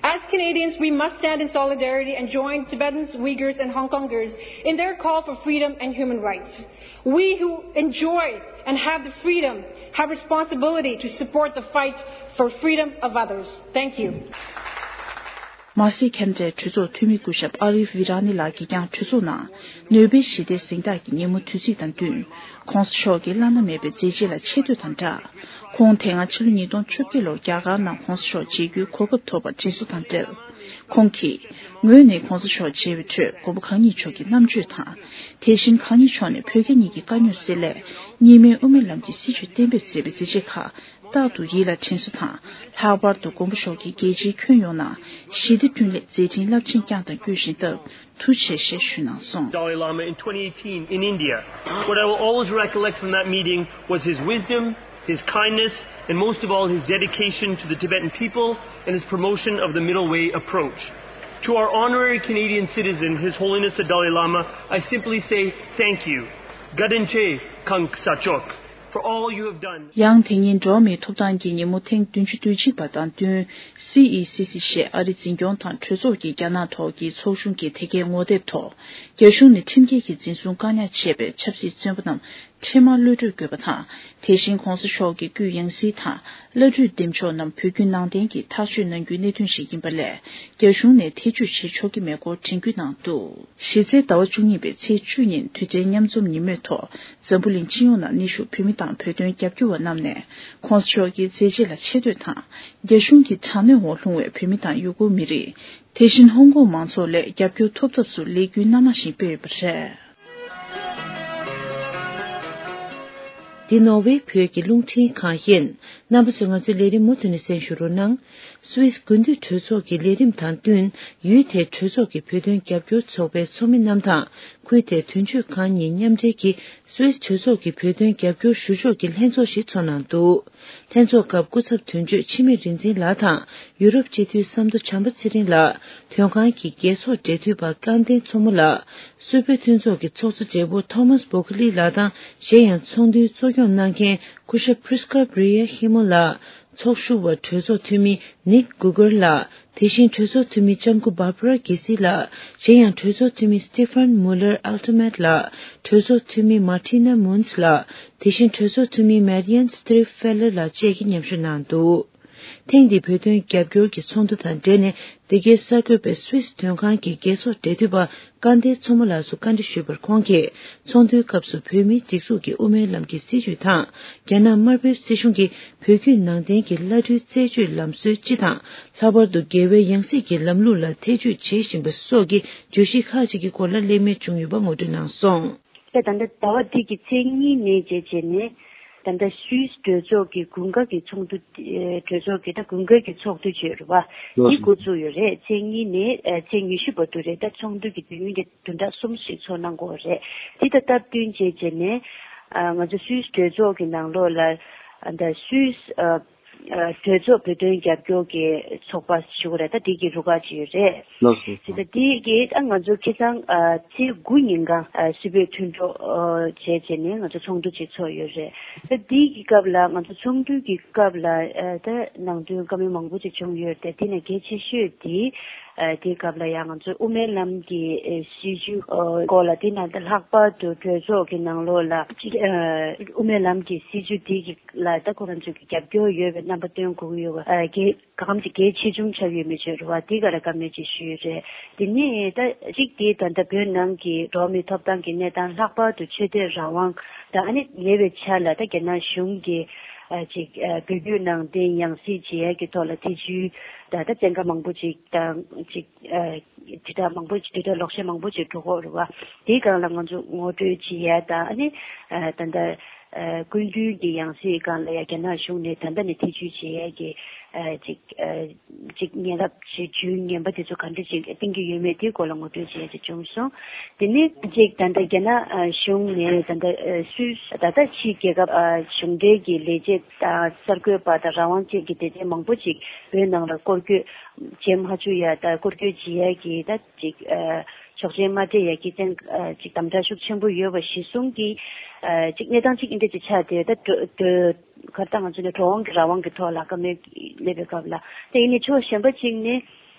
As Canadians, we must stand in solidarity and join Tibetans, Uyghurs, and Hong Kongers in their call for freedom and human rights. We who enjoy and have the freedom have responsibility to support the fight for freedom of others. Thank you. མ་ཟད་ཁ་ན་ཌའི་གྲོས་ཚོགས་འཐུས་མི་སྐུ་ཞབས་ཨ་རིབ་བི་ར་ནི་ལགས་ཀྱིས་ཀྱང་གྲོས་ཚོགས་ནང་ནོ་བེལ་ཞི་བདེའི་གཟེངས་རྟགས་ཀྱི་ཉིན་མོ་དུས་ཚིགས་དང་བསྟུན། ༸གོང་ས་མཆོག་གི་བླ་ན་མེད་པའི་མཛད་རྗེས་ལ་ཆེ་བསྟོད་དང་སྦྲགས། ཁོང་དེ་སྔ་ཕྱི་ལོ་ཉིས་སྟོང་བཅོ་བརྒྱད་ལོར་རྒྱ་གར་ནང་༸གོང་ས་མཆོག་མཇལ་རྒྱུའི་གོ་སྐབས་ཐོབ་པར་དྲན་གསོ་དང་འབྲེལ། ཁོང་གིས། ངོས་ནས་༸གོང་ས་མཆོག་མཇལ་བའི་ཁྲོད་མགོན་པོ་གང་ཉིད་མཆོག་གི་རྣམ་དཔྱོད་དང་། དེ་བཞིན་གང་ཉིད་མཆོག་ནས་བོད་རྒྱ་གཉིས་ཀྱི་དཀའ་རྙོག་སེལ་སླད། གཉིས་སྨན་དབུ་མའི་ལམ་གྱི་སྲིད་བྱུས་གཏན་འབེབས་མཛད་པའི་མཛད་རྗེས་ཁག་རྟག་ཏུ་ཡིད་ལ་དྲན་གསོ་དང་། ལྷག་པར་དུ་མགོན་པོ་མཆོག་གིས་རྒྱལ་སྤྱིའི་ཁྱོན་ཡོངས་ནང་ཞི་བདེ་བསྐྲུན་སླད་མཛད་འཕྲིན་རླབས་ཆེན་བསྐྱངས་དང་སྐྱོང་བཞིན་སྟབས། ཐུགས་རྗེ་ཆེ་ཞེས་ཞུས་གནང་སོང་། Dalai Lama in twenty eighteen in India. What I will always recollect from that meeting was his wisdom, his kindness, and most of all, his dedication to the Tibetan people and his promotion of the middle way approach. To our honorary Canadian citizen, His Holiness the Dalai Lama, I simply say thank you. Gadenche Kang Sachok. For all you have done. ཡང་དེ་ཉིན་འགྲོ་བ་མིའི་ཐོབ་ཐང་གི་ཉིན་མོ་ཐེངས་བདུན་ཅུ་དོན་གཅིག་པ་དང་བསྟུན། སི་ཨི་སི་སི་ཞེས་ཨ་རིའི་འཛིན་སྐྱོང་དང་གྲོས་ཚོགས་ཀྱི་རྒྱ་ནག་ཐོག་གི་ཚོགས་ཆུང་གི་དེ་གའི་ངོ་དེབ་ཐོག་རྒྱ་གཞུང་ནས་ཁྲིམས་འགལ་གྱིས་འཛིན་བཟུང་བཀག་ཉར་བྱས་པའི་ཆབ་སྲིད་བཙོན་པ་རྣམས་འཕྲལ་མར་གློད་གྲོལ་དགོས་པ་དང་། དེ་བཞིན་༸གོང་ས་མཆོག་གི་སྐུའི་ཡང་སྲིད་དང་བླ་སྤྲུལ་འདེམས་ཤོག་རྣམས་བོད་བརྒྱུད་ནང་བསྟན་གྱིས་ཐག་གཅོད་གནང་རྒྱུའི་གནད་དོན་ཞིག་ཡིན་པ་ལས། རྒྱ་གཞུང་ནས་ཐེ་བྱུས་བྱེད་ཆོག་གི་མེད་སྐོར་དྲན་སྐུལ་གནང་འདུག་གཞི་རྩའི་ཟླ་བ་བཅུ་གཉིས་པའི་ཚེས་བཅུ་ཉིན་དུས་དྲན་མཉམ་འཛོམས་ཉིན་མོའི་ཐོག་འཛམ་བུ་གླིང་སྤྱི་ཡོངས་ནང་ནུས་ཤུགས་བོད་མི་དང་བོད་དོན་རྒྱབ་སྐྱོར་བ་རྣམས་ནས་༸གོང་ས་མཆོག་གི་མཛད་རྗེས་ལ་ཆེ་བསྟོད་དང་། རྒྱ་གཞུང་གི་དྲག་གནོན་འོག་ལྷུང་བའི་བོད་མི་དང་ཡུ་གུར་མི་རིགས། དེ་བཞིན་ཧོང་ཀོང་མང་ཚོགས་ལ་རྒྱབ་སྐྱོར་ཐོབ་ཐབས་སུ་ལས་འགུལ་སྣ་མང་ཞིག་སྤེལ་ཡོད་པ་རེད། འདི་ནོར་ཝེ་བོད་ཀྱི་རླུང་འཕྲིན་ཁང་ཡིན། རྣམ་པ་ཚོས་ང་ཚོའི་ལས་རིམ་མུ་མཐུད་ནས་གསན་ཞུ་རོགས་གནང་། སུད་སི་དགུན་དུས་གྲོས་ཚོགས་ཀྱི་ལས་རིམ་དང་བསྟུན། ཡུལ་དེའི་གྲོས་ཚོགས་ཀྱི་བོད་དོན་རྒྱབ་སྐྱོར་ཚོགས་པའི་ཚོགས་མི་རྣམས་དང་། ཁུལ་དེའི་དོན་གཅོད་ཁང་གཉིས་མཉམ་འབྲེལ་གྱིས། སུད་སི་གྲོས་ཚོགས་ཀྱི་བོད་དོན་རྒྱབ་སྐྱོར་ཞུ་ཕྱོགས་ཀྱི་ལྷན་ཚོགས་ཤིག་ཚོགས་གནང་འདུག་ལྷན་ཚོགས་སྐབས་སྐུ་ཚབ་དོན་གཅོད་འཆི་མེད་རིག་འཛིན་ལགས་དང་། ཡུ་རོབ་སྤྱི་འཐུས་བསམ་མདོ་བྱམས་པ་ཚེ་རིང་ལགས། དོན་ཁང་གི་རྒྱལ་ཚོགས་འབྲེལ་མཐུད་པ་ཀང་བསྟན་མཚོ་མོ་ལགས། སུད་བོད་མཐུན་ཚོགས་ཀྱི་ཚོགས་གཙོ་སྦྲེལ་པོ་ཐོ་མཱས་བྷོ་ཁ་ལི་ལགས་དང་། གཞན་ཡང་ཚོགས་འདུའི་གཙོ་སྐྱོང་གནང་མཁན་སྐུ་ཞབས་Prisca Brea Himo ལགས། ཚོགས་ཞུགས་པ་གྲོས་ཚོགས་འཐུས་མི་Nick Guger ལགས། དེ་བཞིན་གྲོས་ཚོགས་འཐུས་མི་ལྕམ་སྐུ་Barbara Gesee ལགས། གཞན་ཡང་གྲོས་ཚོགས་འཐུས་མི་Stefan Muller-Altemet ལགས། གྲོས་ཚོགས་འཐུས་མི་Martina Munz ལགས། དེ་བཞིན་གྲོས་ཚོགས་འཐུས་མི་Marianne Striffler ལགས་བཅས་ཀྱིས་མཉམ་ཞུགས་གནང་འདུག་ཐེངས་འདིའི་བོད་དོན་རྒྱབ་སྐྱོར་གྱི་ཚོགས་འདུ་དང་འབྲེལ་ནས། འདི་གའི་གསར་འགོད་པས་སུད་སི་དོན་ཁང་གི་རྒྱལ་ཚོགས་འབྲེལ་མཐུད་པ་སྐལ་ལྡན་མཚོ་མོ་ལགས་སུ་བཀའ་འདྲི་ཞུས་པར། ཁོང་གིས་ཚོགས་འདུའི་སྐབས་སུ་བོད་མིའི་སྒྲིག་འཛུགས་ཀྱི་དབུ་མའི་ལམ་གྱི་སྲིད་བྱུས་དང་། རྒྱ་ནག་དམར་པོའི་སྲིད་གཞུང་གིས་བོད་བརྒྱུད་ནང་བསྟན་གྱི་བླ་སྤྲུལ་རྩད་གཅོད་ལམ་སྲོལ་སྤྱི་དང་། ལྷག་པར་དུ་རྒྱལ་བའི་ཡང་སྲིད་ཀྱི་ལམ་ལུགས་ལ་ཐེ་བྱུས་བྱེད་བཞིན་པ་སོགས་ཀྱི་བརྗོད་གཞི་ཁག་ཅིག་གི་སྐོར་ལ་གླེང་མོལ་བྱུང་ཡོད་པ་ངོ་སྤྲོད་གནང་སོང་། ད་ད་ལྟ་ཟླ་བ་འདི་གི་ཚེས་གཉིས་ནས་བྱས་བྱས་ནས། ད་ལྟ་སུད་སི་གྲོས་ཚོགས་ཀྱི་དགུན་ཁ་གི་ཚོགས་འདུ། ཨེ། གྲོས་ཚོགས་ཀྱི་ད་དགུན་ཁ་གི་ཚོགས་འདུ་བྱས་རེད་བ། ལགས་འདི་སོ། འགོ་བཙུགས་ཡོད་རེད། ཚེས་གཉིས་ནས་ཨེ། ཚེས་ཉི་ཤུ་བར་དུ་རེད། ད་ཚོགས་འདུ་གི་དུས་ཡུན་དེ་བདུན་ཕྲག་གསུམ་ཞིག་ཚོགས་གནང་དགོས་རེད། འདི་ད་སྟབས་བསྟུན་བྱས་བྱས་ནས། ཨ། ང་ཚོ་སུད་སི་གྲོས་ཚོགས་ཀྱི་ནང་ལོགས་ལ། ཨ། ད་སུད་སི། ཨ། ཨ། གྲོས་ཚོགས་བོད་དོན་རྒྱབ་སྐྱོར་གྱི་ཚོགས་པ་ཞུ་གི་རེད། ད་འདི་གི་རུ་ཁག་ཅིག་ཡོད་རེད། ལགས་སོ། དེ་ད་འདི་གི་ད་ང་ཚོ་ཁ་སང་། ཨ། ཚེས་དགུ་ཉིན་གང་། ཨ། སྲིད་བོད་མཐུན་གྲོགས། ཨ། བྱས་བྱས་ནས་ང་ཚོ་ཚོགས་འདུ་ཅིག་ཚོགས་ཡོད་རེད། ད་འདི་གི་སྐབས་ལ་ང་ཚོ་ཚོགས་འདུ་གི་སྐབས་ལ། ཨ། ད་ནང་དོན་བཀའ་མོལ་མང་པོ་ཅིག་བྱུང་ཡོད་རེད། དེ་ནས་གལ་ཆེ་ཤོས་དེ། ཨ། དེའི་སྐབས་ལ་ཡང་ང་ཚོ་དབུ་མའི་ལམ་གྱི། ཨེ། སྲིད་བྱུས། ཨ། སྐོར་ལ། དེ་ནང་ད་ལྷག་པར་དུ་གྲོས་ཚོགས་ཀྱི་ནང་ལོགས་ལ་ཅིག་ཨ། དབུ་མའི་ལམ་གྱི་སྲིད་བྱུས་དེ་གི་ལ་ད་ཁོ་རང་ཚོ་གི་རྒྱབ་སྐྱོར་ཡོད་པའི་རྣམ་པ་སྟོན་དགོས་ཀྱི་ཡོད་པ། ཨ། གལ། གང་ཅིག་གལ་ཆེ་ཆུང་ཆགས་ཡོད་མེད་བརྗོད་རེད་བ། དེ་ག་ལ་བཀའ་མོལ་ཅིག་ཞུས་ཡོད་རེད། དེ་ནས་ད་གཅིག་དེ་ད་ལྟ་བོད་ནང་གི་འགྲོ་བ་མིའི་ཐོབ་ཐང་གི་གནས་སྟངས། ལྷག་པར་དུ་ཆོས་དད་རང་དབང་དང་། ཨ་ནི་ཉེ་བའི་ཆར་ལ་ད་རྒྱ་ནག་གཞུང་གིས། ཨ། ཅིག་ཨ། བོད་བརྒྱུད་ནང་བསྟན་ཡང་སྲིད་བྱེད་ཡག་གི་ཐོག་ལ་ཐེ་བྱུས་དང་། ད་བཙན་བཀའ་མང་པོ་ཅིག་དང་ཅིག་ཨ། དྲིལ་བསྒྲགས་མང་པོ་ཅིག་དྲིལ་བསྒྲགས་ལོག་བཤད་མང་པོ་ཅིག་འགྲོ་གི་ཡོད་རེད་བ། དེའི་སྒང་ལ་ང་ཚོ་ངོ་སྤྲོད་བྱེད་ཡ་དང་། ཨ་ནི། ཨ། ད་ལྟ། ཨ། སྐུ་མདུན་གྱི་ཡང་སྲིད་སྒང་ལ་ཡ་རྒྱ་ནག་གཞུང་ནས་ད་ལྟ་ནས་ཐེ་བྱུས་བྱེད་ཡ་གི། ཨ། ཅིག་ཨ། ཅིག་ཉེ་རབས་ཅིག་ཇུས་ངན་པ་དེ་ཚོ་ག་འདྲ་ཅིག་བཏིང་གི་ཡོད་མེད་དེའི་སྐོར་ལ་ངོ་སྤྲོད་བྱེད་ཡ་ཅིག་བྱུང་སོང་། དེ་ནས་ཅིག་ད་ལྟ་རྒྱ་ནག་ཨ། གཞུང་ནས་ད་ལྟ། ཨ། སུད། ད་ལྟ་ཕྱིའི་རྒྱལ་ཁབ། ཨ། གཞུང་འབྲེལ་གྱི་ལས་བྱེད་དང་གསར་འགོད་པ་དང་རང་དབང་ཅན་གྱི་སྡེ་ཚན་མང་པོ་ཅིག་བོད་ནང་ལ་སྐོར་སྐྱོད་བྱེད་མ་བཅུག་ཡ་དང་། སྐོར་སྐྱོད་བྱེད་ཡ་གི་ད་ཅིག་ཨ། ཆོག་མཆན་མ་སྤྲད་ཡ་གི་བཙན། ཨ། ཅིག་དམ་དྲག་ཤུགས་ཆེན་པོ་ཡོད་པ་གཞིར་བཟུང་གིས། ཨ། ཅིག་གནས་སྟངས་ཅིག་འདི་འདྲ་ཅིག་ཆགས་ཏེ། ད་འགྲོ་འགྲོ་གར་ད་ང་ཚོ་ནས་འགྲོ་འོང་གི་རང་དབང་གི་ཐོག་ལ་བཀའ་མོལ་སླེབས་པའི་སྐབས་ལ། དེ་ཡིན་ནའི་ཕྱོགས་གཞན་པ་གཅིག་ནས།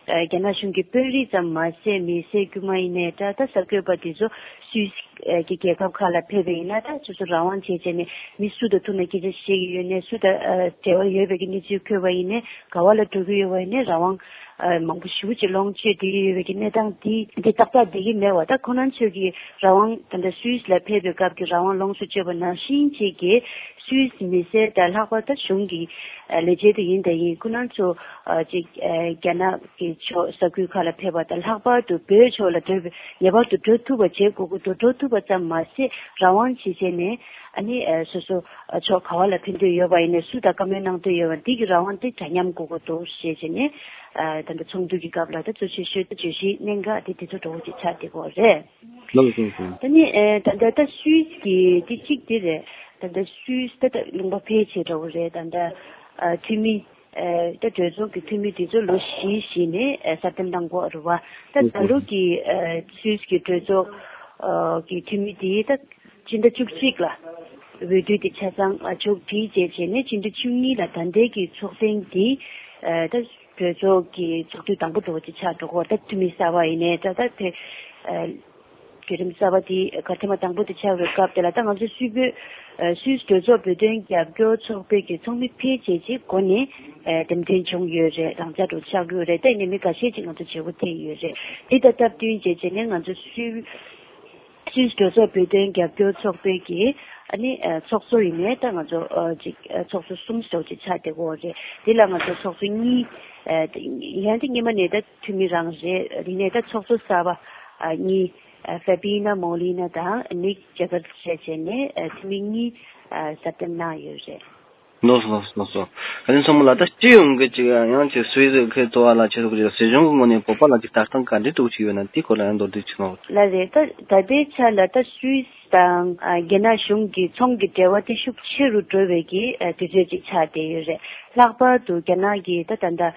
ཨ། རྒྱ་ནག་གཞུང་གི་དཔོན་རིགས་ཙམ་མ་ཟད་མི་སེར་དཀྱུས་མ་ཡིན་ནའི་འདྲ། ད་གསར་འགོད་པ་དེ་ཚོ་སུད་སི་གི་རྒྱལ་ཁབ་ཁག་ལ་ཕེབས་པ་ཡིན་ན། ད་སོ་སོ་རང་དབང་བྱས་བྱས་ནས་མི་སུ་དང་ཐུག་ནས་སྐད་ཆ་བཤད་ཀྱི་ཡོད་ནའི། སུ་དང་ཨ། འབྲེལ་བ་ཡོད་པའི་གི་གནས་ཚུལ་ཐོས་པ་ཡིན་ནའི། ག་བ་ལ་འགྲོ་གི་ཡོད་པ་ཡིན་ནའི་རང་དབང་། ཨ། མང་པོ་ཞེ་པོ་ཅིག་ལོངས་སྤྱོད་བསྡད་ཀྱི་ཡོད་པའི་གི་གནས་སྟངས་འདི་འདི་ཏག་ཏག་བསྡད་ཀྱི་མེད་པ། ད་ཁོ་རང་ཚོས་ཀྱི་རང་དབང་། ད་ལྟ་སུད་སི་ལ་ཕེབས་པའི་སྐབས་ཀྱི་རང་དབང་ལོངས་སུ་སྤྱོད་པ་ནང་བཞིན་བྱས་ཀྱི་སུད་སི་མི་སེར་དང་། ལྷག་པར་ད་གཞུང་གི་ཨ། ལས་བྱེད་དེ་ཡིན་དང་ཡིན། ཁོ་རང་ཚོ་ཨ། ཅིག་ཨ། རྒྱ་ནག་གི་ཕྱོགས་ས་ཁུལ་ཁག་ལ་ཕེབས་པ་དང་། ལྷག་པར་དུ་བོད་ཕྱོགས་ལ་འགྲོ་བའི་ངེས་པར་དུ་འགྲོ་ཐུབ་པ་བྱེད་དགོས་ཀྱི་འདུག་འགྲོ་ཐུབ་པ་ཙམ་མ་ཟད་རང་དབང་བྱས་བྱས་ནས། ཨ་ནི་ཨ། སོ་སོ་ཨ། ཕྱོགས་ག་བ་ལ་ཕེབས་འདོད་ཡོད་པ་ཡིན་ནའི། སུ་དང་བཀའ་མོལ་གནང་འདོད་ཡོད་པ། འདི་གི་རང་དབང་དེ་འདྲ་མཉམ་དགོས་ཀྱི་འདུག་ཞེས་བྱས་ནས། ཨ། ད་ལྟ་ཚོགས་འདུ་གི་སྐབས་ལ་ད་གཙོ་ཆེ་ཤོས་ད་བརྗོད་གཞི་གནད་འགག་དེ་དེ་ཚོ་འདྲ་བོ་ཅིག་ཆགས་བསྡད་ཀྱི་ཡོད་རེད། ལགས་སོ། ད་ནི་ཨེ། ད་ལྟ་ད་སུད་སི་གི་དེ་གཅིག་དེ་རེད། ད་ལྟ་སུད་སི་ད་ལྟ་ལུང་པ་ཕལ་ཆེར་འདྲ་བོ་རེད། ད་ལྟ་ཨ། འཐུས་མི་ཨེ། ད་གྲོས་ཚོགས་ཀྱི་འཐུས་མི་དེ་ཚོ་ལོ་བཞི་བཞི་ནས་ཨེ། གསར་འདེམས་གནང་གི་ཡོད་རེད་བ། ད་ད་ལོ་གི་ཨེ། སུད་སི་གི་གྲོས་ཚོགས་ཨ། གི་འཐུས་མི་དེ་ད་སྤྱི་ཟླ་བཅུ་གཅིག་ལ་འོས་བསྡུ་དེ་ཆ་ཚང་ཨ། ཕྱོགས་སྒྲིག་བྱས་བྱས་ནས་སྤྱི་ཟླ་བཅུ་གཉིས་ལ་ད་ལྟའི་གི་ཚོགས་ཐེངས་འདི་ཨེ། ད་གྲོས་ཚོགས་ཀྱི་ཚོགས་དུས་དང་པོ་འདྲ་བོ་ཅིག་ཆགས་འགྲོ་གི་ཡོད་རེད། ད་འཐུས་མི་གསར་པ་ཡིན་ནའི་འདྲ། ད་དེ་ཨ། བརྒྱུད་རིམ་གསར་པ་དེ་གར་ཐེངས་མ་དང་པོ་དེ་ཆགས་པའི་སྐབས་དེ་ལ། ད་ང་ཚོ་སུད་བོད་ཨ། སུད་སི་གྲོས་ཚོགས་བོད་དོན་རྒྱབ་སྐྱོར་ཚོགས་པའི་གི་ཚོགས་མི་ཕལ་ཆེར་ཅིག་འགོ་ནས་ཨ། འདེམས་ཐོན་བྱུང་ཡོད་རེད། རང་འཇགས་འདྲ་བོ་ཆགས་ཀྱི་ཡོད་རེད། ད་ཡིན་ནའི་མི་འགའ་ཤས་ཅིག་ང་ཚོ་བརྗེ་པོ་ཐེབས་ཡོད་རེད། དེ་དང་སྟབས་བསྟུན་བྱས་བྱས་ནས་ང་ཚོ་སུད་སུད་སི་གྲོས་ཚོགས་བོད་དོན་རྒྱབ་སྐྱོར་ཚོགས་པའི་གི་ཨ་ནི་ཨ། ཚོགས་གཙོ་ཡིན་ནའི་ད་ང་ཚོ་ཨ། ཅིག་ཨ། ཚོགས་གཙོ་གསུམ་ཙམ་ཅིག་ཆགས་བསྡད་ཀྱི་ཡོད་རེད། དེ་ལ་ང་ཚོ་ཚོགས་གཙོ་གཉིས་ཨ། ཡང་དེ་སྔོན་མ་ནས་ད་འཐུས་མི་རང་རེད། དེ་ནས་ད་ཚོགས་གཙོ་གསར་པ་ཨ། གཉིས་ཨ། ཧྥེ་པི་ན་མོ་ལི་ན་དང་ནིག་ཇེ་ཀར་བྱས་བྱས་ནས་ཨ། འཐུས་མི་གཉིས་ཨ། གསར་འདེམས་གནང་ཡོད་རེད། ལགས་སོ། ལགས་སོ། ལགས་སོ། ཨ་ནི་མཚོ་མོ་ལགས། ད་སྤྱི་ཡོངས་ཀྱི་ཅིག་ཡང་ཅིག་སུད་སི་གི་འགྲོ་བ་ལ་ཆེད་དུ་ཅིག་སྲིད་གཞུང་གི་ངོས་ནས་བོད་པ་ལ་ཅིག་ལྟ་སྟངས་ག་འདྲ་འདྲ་བོ་ཅིག་ཡོད་ན། དེའི་སྐོར་ལ་ཡང་མདོར་བསྡུས་ཅིག་གནང་རོགས། ལགས་རེད། ད་ད་ལྟའི་ཆ་ལ་ད་སུད་སི་དང་ཨ། རྒྱ་ནག་གཞུང་གི་ཚོང་གི་འབྲེལ་བ་དེ་ཤུགས་ཆེ་རུ་འགྲོ་བའི་གི་ཨ། དུས་ཚོད་ཅིག་ཆགས་བསྡད་ཡོད་རེད། ལྷག་པར་དུ་རྒྱ་ནག་གི་ད་ད་ལྟ་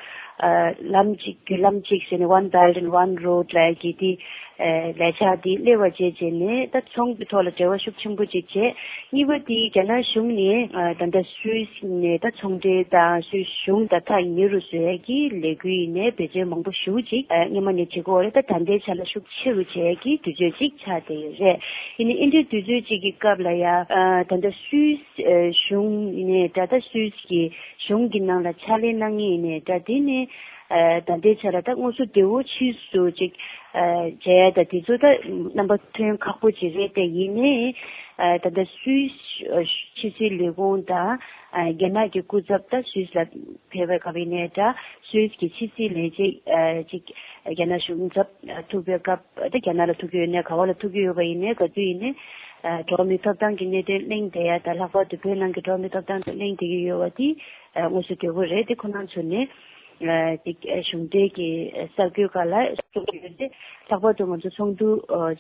ཨ། ལམ་གཅིག་བརྒྱུད་ལམ་གཅིག་ཟེར་ནས་One Belt and One Road ལབ་ཀྱི་དེ་ ལས་འཆར་འདི་སླེབས་པ་བྱས་རྗེས་ནས་ད་ཚོང་གི་ཐོག་ལ་འབྲེལ་བ་ཤུགས་ཆེན་པོ་ཅིག་བྱས། གཉིས་པ་དེ་རྒྱ་ནག་གཞུང་ནས་ད་ལྟ་སུད་སི་ནས་ད་ཚོང་འབྲེལ་དང་སུད་སི་གཞུང་དང་ཐག་ཉེ་རུ་བཟོ་ཡས་ཀྱི་ལས་འགུལ་ཡིན་ནའི་བེད་སྤྱོད་མང་པོ་ཞེ་པོ་ཅིག་སྔོན་མ་ནས་བྱེད་ཀྱི་ཡོད་རེད། ད་ད་ལྟའི་ཆ་ལ་ཤུགས་ཆེ་རུ་བྱེད་ཡས་ཀྱི་དུས་ཚོད་ཅིག་ཆགས་བསྡད་ཡོད་རེད། ཡིན་ནའི་འདི་འདྲའི་དུས་ཚོད་ཅིག་གི་སྐབས་ལ་ཡ་ད་ལྟ་སུད་སི་གཞུང་ཡིན་ནའི་འདྲ། ད་སུད་སི་གི་གཞུང་གི་ནང་ལ་ཕྱག་ལས་གནང་མཁན་ཡིན་ནའི་འདྲ། དེ་ནས་ད་ལྟའི་ཆ་ལ་ད་དངོས་སུ་བདེ་པོ་ཕྱིས་སུ་ཅིག་བྱས་ཡ་ད་དེ་ཚོ་ད་རྣམ་པ་ཐོན་ཁག་པོ་ཅིག་རེད། དེ་ཡིན་ནའི་ད་ལྟ་སུད་སི་ཕྱི་སྲིད་ལས་ཁུངས་དང་རྒྱ་ནག་གི་སྐུ་ཚབ་ད་སུད་སི་ལ་ཕེབས་པའི་སྐབས་ཡིན་ནའི་འདྲ། སུད་སི་གི་ཕྱི་སྲིད་ལས་བྱེད་ཅིག་རྒྱ་ནག་གཞུང་ཚབ་ཐུག་པའི་སྐབས་ད་རྒྱ་ནག་ལ་ཐུག་གི་ཡོད་ནའི་ག་བ་ལ་ཐུག་གི་ཡོད་པ་ཡིན་ནའི་ག་དུས་ཡིན་ནའི་འགྲོ་བ་མིའི་ཐོབ་ཐང་གི་གནད་དོན་གླེང་བསྡད་ཡ་ད་ལྷག་པར་དུ་བོད་ནང་གི་འགྲོ་བ་མིའི་ཐོབ་ཐང་དེ་གླེང་བསྡད་ཀྱི་ཡོད་པ་དེ་དངོས་སུ་བདེ་པོ་རེད། དེ་ཁོ་རང་ཚོ་ནས་ཅིག་གཞུང་འབྲེལ་གྱི་གསར་འགོད་སྒང་ལ་གསུང་གི་ཡོད་དེ། ལྷག་པར་དུ་ང་ཚོ་ཚོགས་འདུ་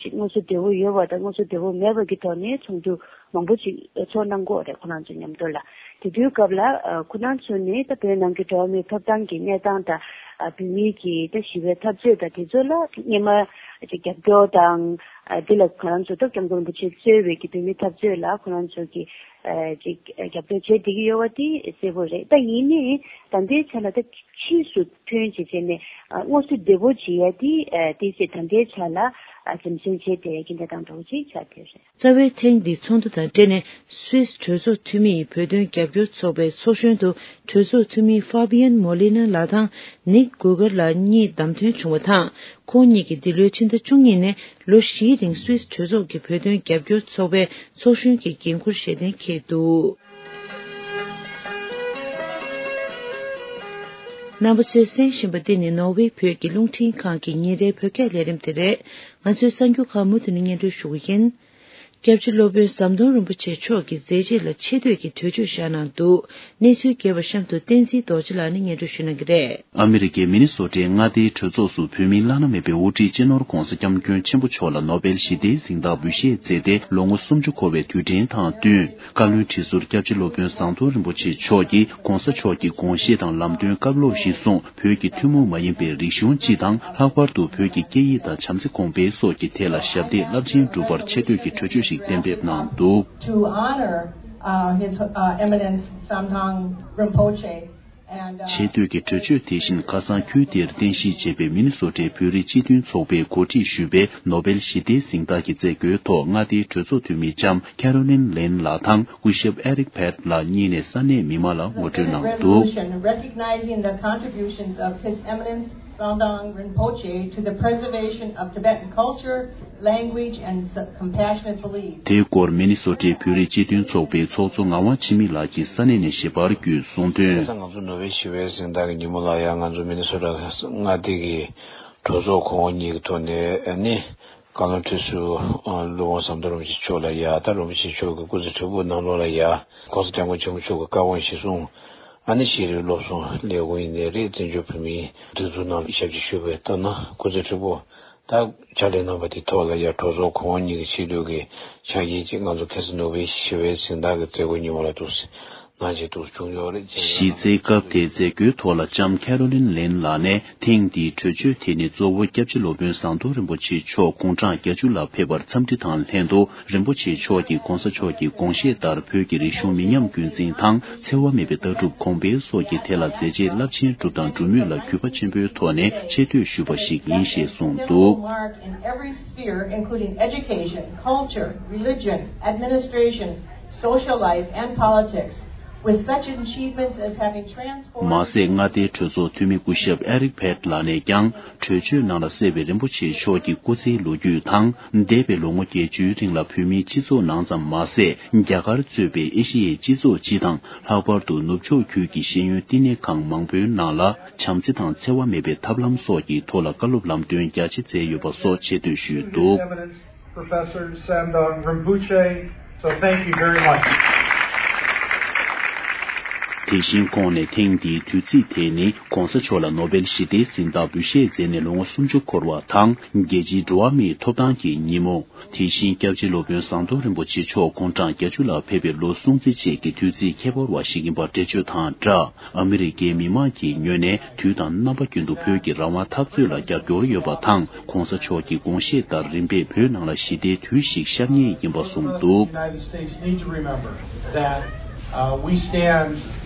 ཅིག་དངོས་སུ་བདེ་པོ་ཡོད་པ་དང་དངོས་སུ་བདེ་པོ་མེད་པ་གི་ཐོག་ནས་ཚོགས་འདུ་མང་པོ་ཅིག་ཚོགས་གནང་གི་ཡོད་རེད། ཁོ་རང་ཚོ་མཉམ་དུ་ལ་དེ་དུས་སྐབས་ལ་ཁོ་རང་ཚོ་ནས་ད་བོད་ནང་གི་འགྲོ་བ་མིའི་ཐོབ་ཐང་གི་གནས་སྟངས་དང་བོད་མིའི་གི་ད་ཞི་བའི་འཐབ་རྩོད་དང་དེ་ཚོ་ལ་སྔོན་མ་ཅིག་རྒྱབ་སྐྱོར་དང་དེ་ལ་ཁོ་རང་ཚོ་ད་སྐྱབས་མགོན་རིན་པོ་ཆེ་གཙོས་པའི་གི་བོད་མིའི་འཐབ་རྩོད་ལ་ཁོ་རང་ཚོ་གི་ཅིག་རྒྱབ་སྐྱོར་བྱས་བསྡད་ཀྱི་ཡོད་པ་དེ་གསལ་པོ་རེད། ད་ཡིན་ནའི་ད་ལྟའི་ཆ་ལ་ད་ཕྱིས་སུ་ཐོན་བྱས་བྱས་ནས་དངོས་སུ་བདེ་པོ་བྱེད་ཡ་དེ་དེ་ཚེ་ད་ལྟའི་ཆ་ལ་འཛེམ་ཟོན་བྱས་བསྡད་ཡ་གི་གནས་སྟངས་འདྲ་བོ་ཅིག་ཆགས་བསྡད་རེད། རྩ་བའི་ཐེངས་འདིའི་ཚོགས་འདུ་དང་འབྲེལ་ནས་སུད་སི་གྲོས་ཚོགས་འཐུས་མི་ཡིས་བོད་དོན་རྒྱབ་སྐྱོར་ཚོགས་པའི་ཚོགས་གཞོན་དུ་གྲོས་ཚོགས་འཐུས་མི་ཧྥ་བི་ཡན་མོ་ལི་ན་ལགས་དང་ནིག་གུ་གར་ལགས་གཉིས་བདམས་ཐོན་བྱུང་བ་དང་། ཁོང་གཉིས་ཀྱིས་འདི་ལོའི་ཕྱི་ཟླ་བཅུ་གཉིས་ནས་ལོ་བཞིའི་རིང་སུད་སི་གྲོས་ཚོགས་ཀྱི་བོད་དོན་རྒྱབ་སྐྱོར་ཚོགས་པའི་ཚོགས་གཞོན་གྱི་འགན་འཁུར་བཞེས་གཏན་འཁེལ་འདུག་རྣམ་པ་ཚོས་གསན་བཞིན་པ་འདི་ནི་ནོར་ཝེ་བོད་ཀྱི་རླུང་འཕྲིན་ཁང་གི་ཉིན་རེའི་བོད་སྐད་ལས་རིམ་དེ་རེད། ང་ཚོའི་གསར་འགྱུར་ཁག་མུ་མཐུད་ནས་སྙན་སྒྲོན་ཞུ་གི་ཡིན། སྐྱབས་རྗེ་སློབ་དཔོན་ཟམ་གདོང་རིན་པོ་ཆེ་མཆོག་གི་མཛད་རྗེས་ལ་ཆེ་བསྟོད་ཀྱི་གྲོས་ཆོད་བཞག་གནང་འདུག་གནས་ཚུལ་རྒྱས་པ་གཤམ་དུ་བསྟན་འཛིན་རྡོ་རྗེ་ལགས་ནས་སྙན་སྒྲོན་ཞུ་གནང་གི་རེད། ཨ་མི་རི་ཀའི་མི་ནི་སོ་ཊའི་མངའ་སྡེའི་གྲོས་ཚོགས་སུ་བོད་མིའི་བླ་ན་མེད་པའི་དབུ་ཁྲིད་སྤྱི་ནོར་༧གོང་ས་༧སྐྱབས་མགོན་ཆེན་པོ་མཆོག་ལ་ནོ་བེལ་ཞི་བདེའི་གཟེངས་རྟགས་འབུལ་བཞེས་མཛད་དེ་ལོ་ངོ་སུམ་ཅུ་འཁོར་བའི་དུས་དྲན་དང་བསྟུན། བཀའ་བློན་ཁྲི་ཟུར་སྐྱབས་རྗེ་སློབ་དཔོན་ཟམ་གདོང་རིན་པོ་ཆེ་མཆོག་གིས་༧གོང་ས་མཆོག་གི་དགོངས་བཞེད་དང་ལམ་སྟོན་བཀའ་སློབ་གཞིར་བཟུང་བོད་ཀྱི་ཐུན་མོང་མ་ཡིན་པའི་རིག་གཞུང་སྤྱི་དང་ལྷག་པར་དུ་བོད་ཀྱི་སྐད་ཡིག་དང་བྱམས་བརྩེ་གོང་འཕེལ་སོགས་ཀྱི་ཐད་ལ་ཞབས་འདེགས་རླབས་ཆེན་བསྒྲུབ་པར་ཆེ་བསྟོད་ཀྱི་གྲོས་ཆོད་ཞིག་གཏན་འབེབས་གནང་འདུག To honor, uh, His, uh, Eminence Samdang Rinpoche and, uh, ཆེ་བསྟོད་ཀྱི་གྲོས་ཆོད་དེ་བཞིན་ཁ་སང་ཁུལ་དེར་རྟེན་གཞི་བྱས་པའི་མི་ནི་སོ་ཊའི་བོད་རིགས་སྤྱི་མཐུན་ཚོགས་པས་གོ་སྒྲིག་ཞུས་པའི་ནོ་བེལ་ཞི་བདེའི་གཟེངས་རྟགས་ཀྱི་མཛད་སྒོའི་ཐོག་མངའ་སྡེའི་གྲོས་ཚོགས་འཐུས་མི་ལྕམ་ཁེ་རོ་ལིན་ལིན་ལགས་དང་སྐུ་ཞབས་ཨེ་རིག་བྷེད་ལགས་གཉིས་ནས་ས་གནས་མི་མང་ལ་ངོ་སྤྲོད་གནང་འདུག Resolution recognizing the contributions of His Eminence Samdang Rinpoche to the preservation of Tibetan culture, language, and compassionate belief. དེའི་སྐོར་མི་ནི་སོ་ཊའི་བོད་རིགས་སྤྱི་མཐུན་ཚོགས་པའི་ཚོགས་གཙོ་ངག་དབང་འཆི་མེད་ལགས་ཀྱིས་ས་གནས་ནས་ཞིབ་པར་བརྒྱུད་གསུངས་དོན། ཁ་སང་ང་ཚོ་ནོ་བེལ་ཞི་བའི་གཟེངས་རྟགས་ཀྱི་ཉིན་མོ་ལ་ཡང་ང་ཚོ་མི་ནི་སོ་ཊ་མངའ་སྡེ་གི་གྲོས་ཚོགས་གོང་འོག་གཉིས་ཀྱི་ཐོག་ནས་ནི། བཀའ་བློན་ཁྲི་ཟུར་སློབ་དཔོན་ཟམ་གདོང་རིན་པོ་ཆེ་མཆོག་ལ་ཡ་ད་རིན་པོ་ཆེ་མཆོག་གི་སྐུ་ཚེ་ཧྲིལ་པོ་ནང་ལོགས་ལ་ཡ་༧གོང་ས་༧སྐྱབས་མགོན་ཆེན་པོ་མཆོག་གི་བཀའ་དགོངས་གཞིར་བཟུང་ཨ་ནི་ཤེས་རིག་སློབ་གསོ་ལས་ཁུངས་ཡིན་ནའི་རེད། བཙན་བྱོལ་བོད་མིའི་སྒྲིག་འཛུགས་ནང་ཞབས་ཕྱི་ཞུས་པའི་ལྟར་ན་སྐུ་ཚེ་ཧྲིལ་པོ་ད་ཕྱག་ལས་གནང་བ་དེ་ཐོག་ལ་ཡ་གྲོས་ཚོགས་གོང་འོག་གཉིས་ཀྱི་ཆེས་མཐོའི་གི་ཕྱག་འགྱེད་ཅིག་ང་ཚོ་ཁ་སང་ནོ་བེལ་ཞི་བའི་གཟེངས་རྟགས་ཀྱི་མཛད་སྒོའི་ཉིན་མོ་ལ་འདུག་ཟེར། གནང་བྱས་འདུག་བྱུང་ཡོད་རེད་ཅེས། གཞི་རྩའི་སྐབས་དེའི་མཛད་སྒོའི་ཐོག་ལ་ལྕམ་ཁེ་རོ་ལིན་ལིན་ལགས་ནས་ཐེངས་འདིའི་གྲོས་ཆོད་དེ་ནི་གཙོ་བོ་སྐྱབས་རྗེ་སློབ་དཔོན་ཟམ་གདོང་རིན་པོ་ཆེ་མཆོག་དགུང་གྲངས་བརྒྱད་ཅུ་ལ་ཕེབས་པར་འཚམས་འདྲི་དང་ལྷན་དུ་རིན་པོ་ཆེ་མཆོག་གིས་༧གོང་ས་མཆོག་གི་དགོངས་བཞེད་ལྟར་བོད་ཀྱི་རིག་གཞུང་མི་ཉམས་རྒྱུན་འཛིན་དང་འཚེ་བ་མེད་པའི་ལྟ་གྲུབ་གོང་འཕེལ་སོགས་ཀྱི་ཐད་ལ་མཛད་རྗེས་རླབས་ཆེན་བསྒྲུབས་དང་འགྲུབ་མུས་ལ་གུས་པ་ཆེན་པོའི་ཐོག་ནས་ཆེ་བསྟོད་ཞུས་པ་ཞིག་ཡིན་ཞེས་གསུངས་འདུག Mark in every sphere, including education, culture, religion, administration, social life, and politics, with such achievements as having transformed མ་ཟད་མངའ་སྡེའི་གྲོས་ཚོགས་འཐུས་མི་སྐུ་ཞབས་ཨེ་རིག་བྷེད་ལགས་ནས་ཀྱང་གྲོས་ཆོད་ནང་ལ་གསལ་བའི་རིན་པོ་ཆེ་མཆོག་གི་སྐུ་ཚེའི་ལོ་རྒྱུས་དང་། འདས་པའི་ལོ་ངོ་བརྒྱད་ཅུའི་རིང་ལ་བོད་མིའི་སྤྱི་ཚོགས་ནང་ཙམ་མ་ཟད། རྒྱ་གར་གཙོས་པའི་ཨེ་ཤི་ཡའི་སྤྱི་ཚོགས་སྤྱི་དང་། ལྷག་པར་དུ་ནུབ་ཕྱོགས་ཁུལ་གྱི་ཤེས་ཡོན་བསྟི་གནས་ཁང་མང་པོའི་ནང་ལ། བྱམས་བརྩེ་དང་འཚེ་བ་མེད་པའི་ཐབས་ལམ་སོགས་ཀྱི་ཐོག་ལ་བཀའ་སློབ་ལམ་སྟོན་རྒྱ་ཆེ་མཛད་ཡོད་པ་སོགས་ཆེ་བསྟོད་ཞུས་འདུག Professor Samdang Rinpoche. So thank you very much. དེ་བཞིན་ཁོང་ནས་ཐེངས་འདིའི་དུས་ཚིགས་དེ་ནི་གོང་ས་མཆོག་ལ་ནོ་བེལ་ཞི་བདེའི་གཟེངས་རྟགས་འབུལ་བཞེས་མཛད་ནས་ལོ་ངོ་སུམ་ཅུ་འཁོར་བ་དང་རྒྱལ་སྤྱིའི་འགྲོ་བ་མིའི་ཐོབ་ཐང་གི་ཉིན་མོ། དེ་བཞིན་སྐྱབས་རྗེ་སློབ་དཔོན་ཟམ་གདོང་རིན་པོ་ཆེ་མཆོག་དགུང་གྲངས་བརྒྱད་ཅུ་ལ་ཕེབས་པའི་ལོ་སྲུང་བརྩི་བཅས་ཀྱི་དུས་ཚིགས་ཁྱད་པར་བ་ཞིག་ཡིན་པར་འགྲེལ་བརྗོད་དང་སྦྲགས། ཨ་མི་རི་ཀའི་མི་མང་གི་ངོས་ནས་དུས་དང་རྣམ་པ་ཀུན་ཏུ་བོད་ཀྱི་རང་དབང་འཐབ་རྩོད་ལ་རྒྱབ་སྐྱོར་ཡོད་པ་དང་། གོང་ས་མཆོག་གི་དགོངས་བཞེད་ལྟར་རིམ་པས་བོད་ནང་ལ་ཞི་བདེའི་དུས་ཤིག་ཤར་ངེས་ཡིན་པ་གསུངས་འདུག། United States need to remember that, uh, we stand,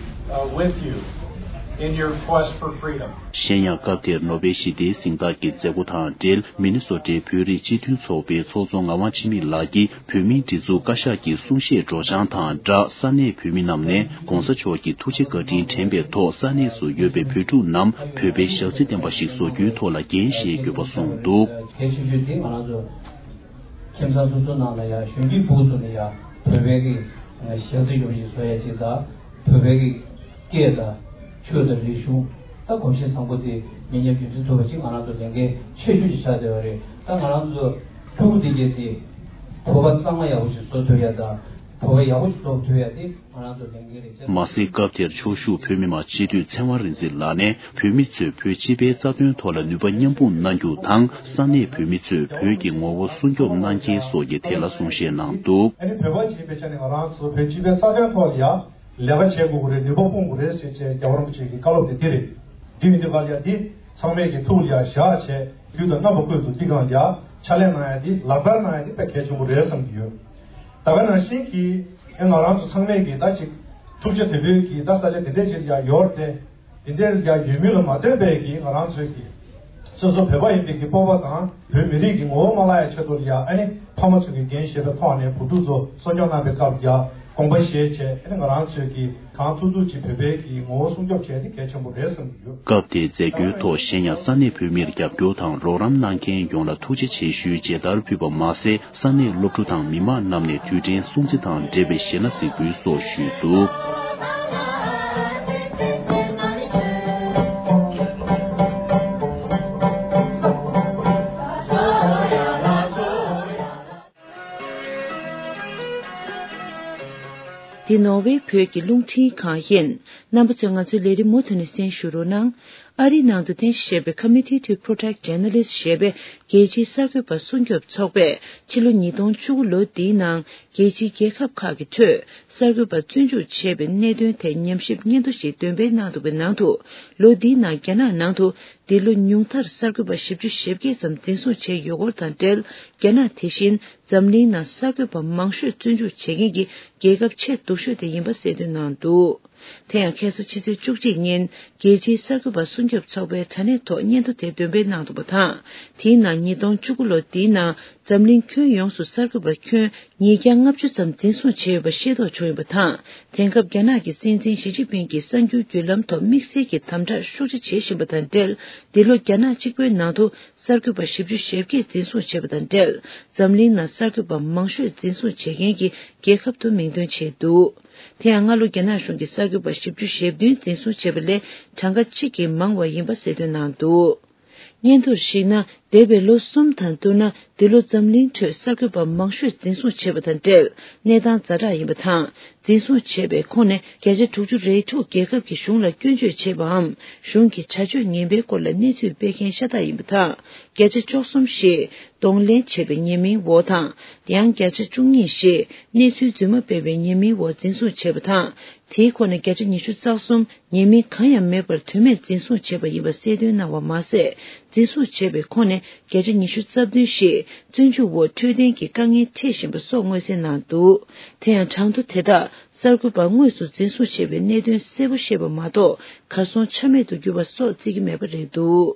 uh, with you in your quest for freedom. གཞན་ཡང་སྐབས་དེར་ནོ་བེལ་ཞི་བདེའི་གཟེངས་རྟགས་ཀྱི་མཛད་སྒོ་དང་འབྲེལ། མི་ནི་སོ་ཊའི་བོད་རིགས་སྤྱི་མཐུན་ཚོགས་པའི་ཚོགས་གཙོ་ངག་དབང་འཆི་མེད་ལགས་ཀྱིས་བོད་མིའི་སྒྲིག་འཛུགས་བཀའ་ཤག་གི་གསུང་བཤད་སྒྲོག་སྦྱང་དང་སྦྲགས། ས་གནས་བོད་མི་རྣམས་ནས་གོང་ས་མཆོག་གི་ཐུགས་རྗེ་བཀའ་དྲིན་དྲན་པའི་ཐོག་ས་གནས་སུ་ཡོད་པའི་བོད་ཕྲུག་རྣམས་བོད་པའི་ཞག་རྩི་ལྡན་པ་ཞིག་བཟོ་རྒྱུའི་ཐོག་ལ་འགན་བཞེས་དགོས་པ་གསུངས་འདུག། གལ་ཆེ་ཤོས་དེ་ང་རང་ཚོ་ཁྱིམ་ཚང་སོ་སོ་ནང་ལ་ཡང་གཞོན་སྐྱེས་ཕྲུ་གུ་ཚོ་ནས་ཡང་བོད་པའི་གི་ཞག་རྩི་ཡོང་ཞིག་བཟོ་ཡ་ཅིག་དང་། བོད་པའི་གི་སྐད་དང་ཆོས་དང་རིག་གཞུང་། ད་གོམས་གཤིས་བཟང་པོ་དེ་མི་ཉམས་རྒྱུན་འཛིན་ཐུབ་པ་ཅིག་ང་རང་ཚོ་ལས་འགན་ཆེ་ཤོས་ཅིག་ཆགས་བསྡད་པ་རེད། ད་ང་རང་ཚོ་ཕྲུ་གུ་དེ་གས་དེ་བོད་པ་གཙང་མ་ཡག་པོ་ཞིག་བཟོ་ཐུབ་ཡ་དང་། བོད་པ་ཡག་པོ་ཞིག་བཟོ་ཐུབ་ཡ་དེ་ང་རང་ཚོ་ལས་འགན་རེད། མ་ཟད་སྐབས་དེར་ཕྱོགས་བཞུགས་བོད་མི་མང་སྤྱི་འཐུས་ཚེ་དབང་རིག་འཛིན་ལགས་ནས་བོད་མི་ཚོས་བོད་སྤྱི་པའི་རྩ་དོན་ཐོག་ལ་ནུས་པ་མཉམ་སྤུངས་གནང་རྒྱུ་དང་། ས་གནས་བོད་མི་ཚོས་བོད་ཀྱི་ངོ་བོ་སྲུང་སྐྱོབ་གནང་གལ་སོགས་ཀྱི་ཐད་ལ་གསུང་བཤད་གནང་འདུག། ཨ་ནི་བོད་པ་ཅིག་ཡིན་པའི་ཆ་ནས་ང་རང་ཚོ་བོད་སྤྱི་པའི་རྩ་དོན་ཐོག་ལ་ཡང་ལས་ཀ་བྱེད་དགོས་ཀྱི་རེད། ནུས་པ་སྤུངས་དགོས་རེད་ཟེར་བྱས་རྒྱལ་བ་རིན་པོ་ཆེ་གི་བཀའ་སློབ་དེ་འདི་རེད། འདི་ཡིན་དུས་ག་ལ་ཡ་འདི་ཚང་མས་ཀྱི་ཐུགས་ལ་ཡ་བཞག་བྱས་དུས་དང་རྣམ་པ་ཀུན་ཏུ་འདི་གང་ལ་ཡ་ཕྱག་ལས་གནང་ཡ་འདི་ལག་བསྟར་གནང་ཡ་འདི་དཔེ་གལ་ཆེན་པོ་རེད་བསམ་གྱི་ཡོད། ད་ག་ནང་བཞིན་གྱི་ཨེ་ང་རང་ཚོ་ཚང་མས་ཀྱི་ད་ཅིག་འཁྲུག་ཆ་དོད་པོའི་གི་ད་ས་ཆ་དེ་འདྲས་ཅིག་ལ་ཡ་ཡོད་རེད་དེ། དེ་འདྲའི་ཡ་ཡོད་མུས་ལ་མ་ལྟོས་པའི་གི་ང་རང་ཚོའི་གི་སོ་སོ་བོད་པ་ཡིན་པའི་གི་སྤོབས་པ་དང་བོད་མི་རིགས་ཀྱི་ངོ་བོ་མ་བརླག་ཡ་ཆེད་དུ་ལ་ཡ་ཨ་ནི་ཕ་མ་ཚོ་གི་འགན་བཞེས་པའི་ཐོག་ནས་བུ་ཕྲུག་ཚོ་གསོ་སྐྱོང་གནང་པའི་སྐབས་ལ་ཡ་དགོངས་པ་བཞེས་བྱས་ཨ་ནི་ང་རང་ཚོའི་གི་གང་ཐུབ་ཐུབ་ཅིག་བོད་པའི་གི་ངོ་བོ་སྲུང་སྐྱོབ་བྱས་ཏེ་གལ་ཆེན་པོ་རེད་བསམ་གྱི་ཡོད། སྐབས་དེའི་མཛད་སྒོའི་ཐོག་གཞན་ཡང་ས་གནས་བོད་མིར་རྒྱབ་སྐྱོར་དང་རོགས་རམ་གནང་མཁན་ཡོངས་ལ་ཐུགས་རྗེ་ཆེ་ཞུའི་མཇལ་དར་ཕུལ་བ་མ་ཟད། ས་གནས་སློབ་ཕྲུག་དང་མི་མང་རྣམས་ནས་དུས་དྲན་སྲུང་བརྩི་དང་འབྲེལ་བའི་ཞེ་ན་གཟིགས་འབུལ་སོགས་ཞུས་འདུག། འདི་ནོར་ཝེ་བོད་ཀྱི་རླུང་འཕྲིན་ཁང་ཡིན། རྣམ་པ་ཚོས་ང་ཚོའི་ལས་རིམ་མུ་མཐུད་ནས་གསན་ཞུ་རོགས་གནང་། ཨ་རིའི་ནང་དུ་རྟེན་གཞི་བྱས་པའི་Committee to Protect Journalists ཞེས་པའི་རྒྱལ་སྤྱིའི་གསར་འགོད་པ་སྲུང་སྐྱོབ་ཚོགས་པས་ཕྱི་ལོ་ཉིས་སྟོང་བཅུ་དགུ་ལོ་འདིའི་ནང་རྒྱལ་སྤྱིའི་རྒྱལ་ཁབ་ཁག་གི་ཁྲོད་གསར་འགོད་པ་བཙོན་འཇུག་བྱས་པའི་གནད་དོན་ཐད་ཉམས་ཞིབ་སྙན་ཐོ་ཞིག་འདོན་སྤེལ་གནང་འདུག་པའི་ནང་དུ། ལོ་འདིའི་ནང་རྒྱ་ནག་ནང་དུ་འདི་ལོ་ཉུང་མཐར་གསར་འགོད་པ་བཞི་བཅུ་ཞེ་བརྒྱད་ཙམ་འཛིན་བཟུང་བྱས་ཡོད་སྐོར་དང་འབྲེལ། རྒྱ་ནག་དེ་བཞིན་འཛམ་གླིང་ནང་གསར་འགོད་པ་མང་ཤོས་བཙོན་འཇུག་བྱེད་མཁན་གྱི་རྒྱལ་ཁབ་ཆེས་སྡུག་ཤོས་དེ་ཡིན་པ་གསལ་སྟོན་གནང་འདུག། དེ་ཡང་ཁ་སང་ཕྱི་ཚེས་བཅུ་གཅིག་ཉིན་རྒྱལ་སྤྱིའི་གསར་འགོད་པ་སྲུང་སྐྱོབ་ཚོགས་པའི་དྲ་གནས་ཐོག་སྙན་ཐོ་དེ་འདོན་སྤེལ་གནང་འདུག་པ་དང་། དེའི་ནང་ཉིས་སྟོང་བཅུ་དགུ་ལོ་འདིའི་ནང་འཛམ་གླིང་ཁྱོན་ཡོངས་སུ་གསར་འགོད་པ་ཁྱོན་ཉིས་བརྒྱ་ལྔ་བཅུ་ཙམ་འཛིན་བཟུང་བྱས་ཡོད་པ་ཤེས་རྟོགས་བྱུང་ཡོད་པ་དང་། དེང་སྐབས་རྒྱ་ནག་གི་སྲིད་འཛིན་ཞི་ཅིན་ཕིང་གིས་གསར་འགྱུར་བརྒྱུད་ལམ་ཐོག་དམིགས་བསལ་གྱི་དམ་དྲག་ཤུགས་ཆེ་བྱེད་བཞིན་པ་དང་འབྲེལ། འདི་ལོ་རྒྱ་ནག་གཅིག་པུའི་ནང་དུ་གསར་འགོད་པ་བཞི་བཅུ་ཞེ་བརྒྱད་འཛིན་བཟུང་བྱས་པ་དང་འབྲེལ། འཛམ་གླིང་ནང་གསར་འགོད་པ་མང་ཤོས་འཛིན་བཟུང་བྱེད་མཁན་གྱི་རྒྱལ་ཁབ་ཏུ་མིང་འདོན་བྱས་འདུག། དེ་ཡང་སྔ་ལོ་རྒྱ་ནག་གཞུང་གིས་གསར་འགོད་པ་བཞི་བཅུ་ཞེ་བདུན་འཛིན་བཟུང་བྱས་པ་ལས་གྲངས་ཀ་གཅིག་གིས་མང་བ་ཡིན་པ་གསལ་སྟོན་གནང་འདུག། སྙན་ཐོར་གཞིགས་ན། འདས་པའི་ལོ་གསུམ་དང་བསྡུར་ན། འདི་ལོ་འཛམ་གླིང་ཁྲོད་གསར་འགོད་པ་མང་ཤོས་འཛིན་བཟུང་བྱས་པ་དང་འབྲེལ། གནས་སྟངས་ཛ་དྲག་ཡིན་པ་དང་། འཛིན་བཟུང་བྱས་པའི་ཁོངས་ནས་བརྒྱ་ཆ་དྲུག་ཅུ་རེ་དྲུག་རྒྱལ་ཁབ་ཀྱི་གཞུང་ལ་སྐྱོན་བརྗོད་བྱས་པའམ། གཞུང་གི་བྱ་སྤྱོད་ངན་པའི་སྐོར་ལ་གནས་ཚུལ་སྤེལ་མཁན་ཤ་སྟག་ཡིན་པ་དང་། བརྒྱ་ཆ་བཅུ་གསུམ་ཞིག་གདོང་ལེན་བྱས་པའི་ཉེས་མིང་འོག་དང་། ཡང་བརྒྱ་ཆ་བཅུ་གཉིས་ཞིག་གནས་ཚུལ་རྫུན་མ་སྤེལ་བའི་ཉེས་མིང་འོག་འཛིན་བཟུང་བྱས་པ་དང་། དེའི་ཁོངས་ནས་བརྒྱ་ཆ་ཉི་ཤུ་རྩ་གསུམ་ཉེས་མིང་གང་ཡང་མེད་པར་དོན་མེད་འཛིན་བཟུང་བྱས་པ་ཡིན་པ་གསལ་སྟོན་གནང་བ་མ་ཟད། འཛིན་བཟུང་བྱས་པའི་ཁོངས་ནས་བརྒྱ་ཆ་ཉི་ཤུ་རྩ་བདུན་ཞིག་བཙོན་འཇུག་འོག་འཕྲོད་བསྟེན་གྱི་དཀའ་ངལ་འཕྲད་བཞིན་པ་སོགས་མངོན་གསལ་གནང་འདུག། དེ་ཡང་གྲངས་ཐོ་དེ་དག་གསར་འགོད་པ་དངོས་སུ་འཛིན་བཟུང་བྱས་པའི་གནད་དོན་གསལ་པོ་ཤེས་པ་མ་གཏོགས་གར་སོང་ཆ་མེད་དུ་གྱུར་པ་སོགས་བརྩི་གི་མེད་པ་རེད་འདུག།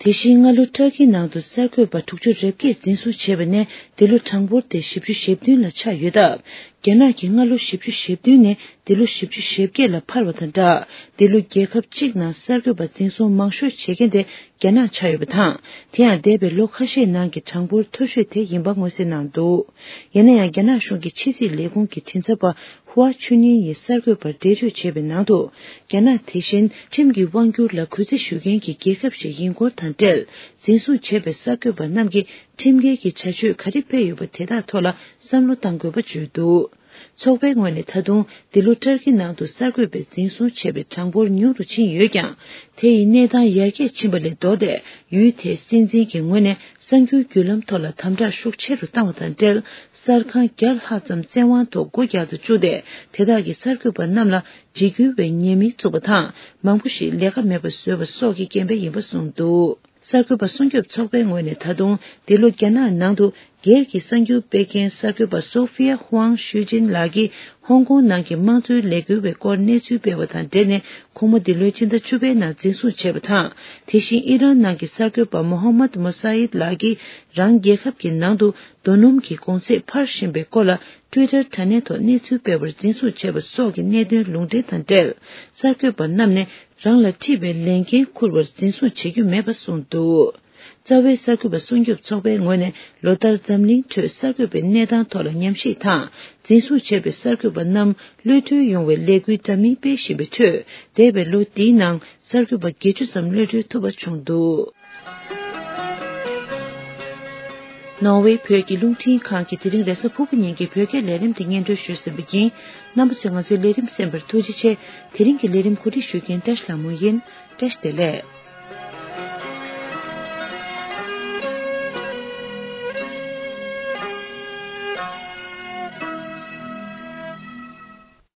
དེ་བཞིན་སྔ་ལོ་ཊར་ཀིའི་ནང་དུ་གསར་འགོད་པ་དྲུག་ཅུ་རེ་བརྒྱད་འཛིན་བཟུང་བྱས་པ་ནས་འདི་ལོ་གྲངས་འབོར་དེ་བཞི་བཅུ་ཞེ་བདུན་ལ་ཆགས་ཡོད་སྟབས། རྒྱ་ནག་གིས་སྔ་ལོ་བཞི་བཅུ་ཞེ་བདུན་ནས་འདི་ལོ་བཞི་བཅུ་ཞེ་བརྒྱད་ལ་འཕར་བ་དང་སྦྲགས། འདི་ལོ་རྒྱལ་ཁབ་གཅིག་ནང་གསར་འགོད་པ་འཛིན་བཟུང་མང་ཤོས་བྱེད་མཁན་དེ་རྒྱ་ནག་ཆགས་ཡོད་པ་དང་། དེ་ཡང་འདས་པའི་ལོ་ཁ་ཤས་ནང་གི་གྲངས་འབོར་མཐོ་ཤོས་དེ་ཡིན་པ་མངོན་གསལ་གནང་འདུག། ཡིན་ན་ཡང་རྒྱ་ནག་གཞུང་གི་ཕྱི་སྲིད་ལས་ཁུངས་ཀྱི་མགྲིན་ཚབ་པ་ཧུའ་ཆུ་ནིང་ཡིས་གསར་འགོད་པར་འགྲེལ་བརྗོད་བྱས་པའི་ནང་དུ། རྒྱ་ནག་དེ་བཞིན་ཁྲིམས་ཀྱི་དབང་སྒྱུར་ལ་གུས་བརྩི་ཞུ་མཁན་གྱི་རྒྱལ་ཁབ་ཞིག་ཡིན་སྐོར་དང་འབྲེལ། འཛིན་བཟུང་བྱས་པའི་གསར་འགོད་པ་རྣམས་ཀྱིས་ཁྲིམས་འགལ་གྱི་བྱ་སྤྱོད་ག་རེ་སྤེལ་ཡོད་པ་དེ་དག་ཐོག་ལ་བསམ་བློ་གཏང་དགོས་པ་བརྗོད་འདུག། ཚོགས་པའི་ངོས་ནས་ད་དུང་འདི་ལོ་ཏུར་ཀི་ནང་དུ་གསར་འགོད་པས་འཛིན་བཟུང་བྱས་པའི་གྲངས་འབོར་ཉུང་རུ་ཕྱིན་ཡོད་ཀྱང་། དེ་ཡི་གནས་སྟངས་ཡར་རྒྱས་ཕྱིན་པ་ལས་ལྡོག་སྟེ། ཡུལ་དེའི་སྲིད་འཛིན་གྱི་ངོས་ནས་གསར་འགྱུར་བརྒྱུད་ལམ་ཐོག་ལ་དམ་དྲག་ཤུགས་ཆེ་རུ་བཏང་བ་དང་འབྲེལ། གསར་ཁང་བརྒྱ་ལྷག་ཙམ་བཙན་དབང་ཐོག་སྒོ་རྒྱག་ཏུ་བཅུག་སྟེ། དེ་དག་གིས་གསར་འགོད་པ་རྣམས་ལ་འཇིགས་སྐུལ་བའི་ཉེས་མིང་བཙུགས་པ་དང་། མང་པོ་ཞིག་ལས་ཀ་མེད་པར་བཟོས་པ་སོགས་ཀྱི་རྐྱེན་པས་ཡིན་པ་གསུངས་འདུག། གསར་འགོད་པ་སྲུང་སྐྱོབ་ཚོགས་པའི་ངོས་ནས་ད་དུང་འདི་ལོ་རྒྱ་ནག་ནང་དུ་སྒེར་གྱི་གསར་འགྱུར་སྤེལ་མཁན་གསར་འགོད་པ་སོ་ཧྥི་ཡ་ཧུའང་ཤུའུ་ཅིན་ལགས་ཀྱིས་ཧོང་ཀོང་ནང་གི་དམངས་གཙོའི་ལས་འགུལ་བའི་སྐོར་གནས་ཚུལ་སྤེལ་བ་དང་འབྲེལ་ནས། ཁོང་མོ་འདི་ལོའི་ཕྱི་ཟླ་བཅུ་པའི་ནང་འཛིན་བཟུང་བྱས་པ་དང་། དེ་བཞིན་ཨི་རན་ནང་གི་གསར་འགོད་པ་མོ་ཧམ་མད་མོ་ས་ཡིད་ལགས་ཀྱིས་རང་རྒྱལ་ཁབ་ཀྱི་ནང་དུ་རྡོ་སྣུམ་གྱི་གོང་ཚད་འཕར་བཞིན་པའི་སྐོར་ལ། ཊུའི་ཊར་དྲ་གནས་ཐོག་གནས་ཚུལ་སྤེལ་བར་འཛིན་བཟུང་བྱས་པ་སོགས་ཀྱི་གནད་དོན་ལུང་འདྲེན་དང་འབྲེལ། གསར་འགོད་པ་རྣམས་ནས་རང་ལ་འཁྲི་བའི་ལས་འགན་འཁུར་བར་འཛིན་བཟུང་བྱེད་རྒྱུ་མེད་པ་གསུངས་འདུག། རྩ་བའི་གསར་འགོད་པ་སྲུང་སྐྱོབ་ཚོགས་པའི་ངོས་ནས་ལོ་ལྟར་འཛམ་གླིང་ཁྲོད་གསར་འགོད་པའི་གནས་སྟངས་ཐོག་ལ་ཉམས་ཞིབ་དང་། འཛིན་བཟུང་བྱས་པའི་གསར་འགོད་པ་རྣམས་གློད་གྲོལ་ཡོང་བའི་ལས་འགུལ་འདྲ་མིན་སྤེལ་བཞིན་པའི་ཁྲོད། འདས་པའི་ལོ་འདིའི་ནང་གསར་འགོད་པ་བརྒྱད་ཅུ་ཙམ་གློད་གྲོལ་ཐུབ་པ་བྱུང་འདུག། ནོར་ཝེ་བོད་ཀྱི་རླུང་འཕྲིན་ཁང་གིས་དེ་རིང་རེས་གཟའ་ཕུར་བུ་ཉིན་གྱི་བོད་སྐད་ལས་རིམ་དེ་སྙན་སྒྲོན་ཞུས་ཟིན་པ་ཡིན། རྣམ་པ་ཚོས་ང་ཚོའི་ལས་རིམ་གསན་པར་ཐུགས་རྗེ་ཆེ། དེ་རིང་གི་ལས་རིམ་གོ་སྒྲིག་ཞུ་མཁན་བཀྲ་ཤིས་ལྷ་མོ་ཡིན། བཀྲ་ཤིས་བདེ་ལེགས།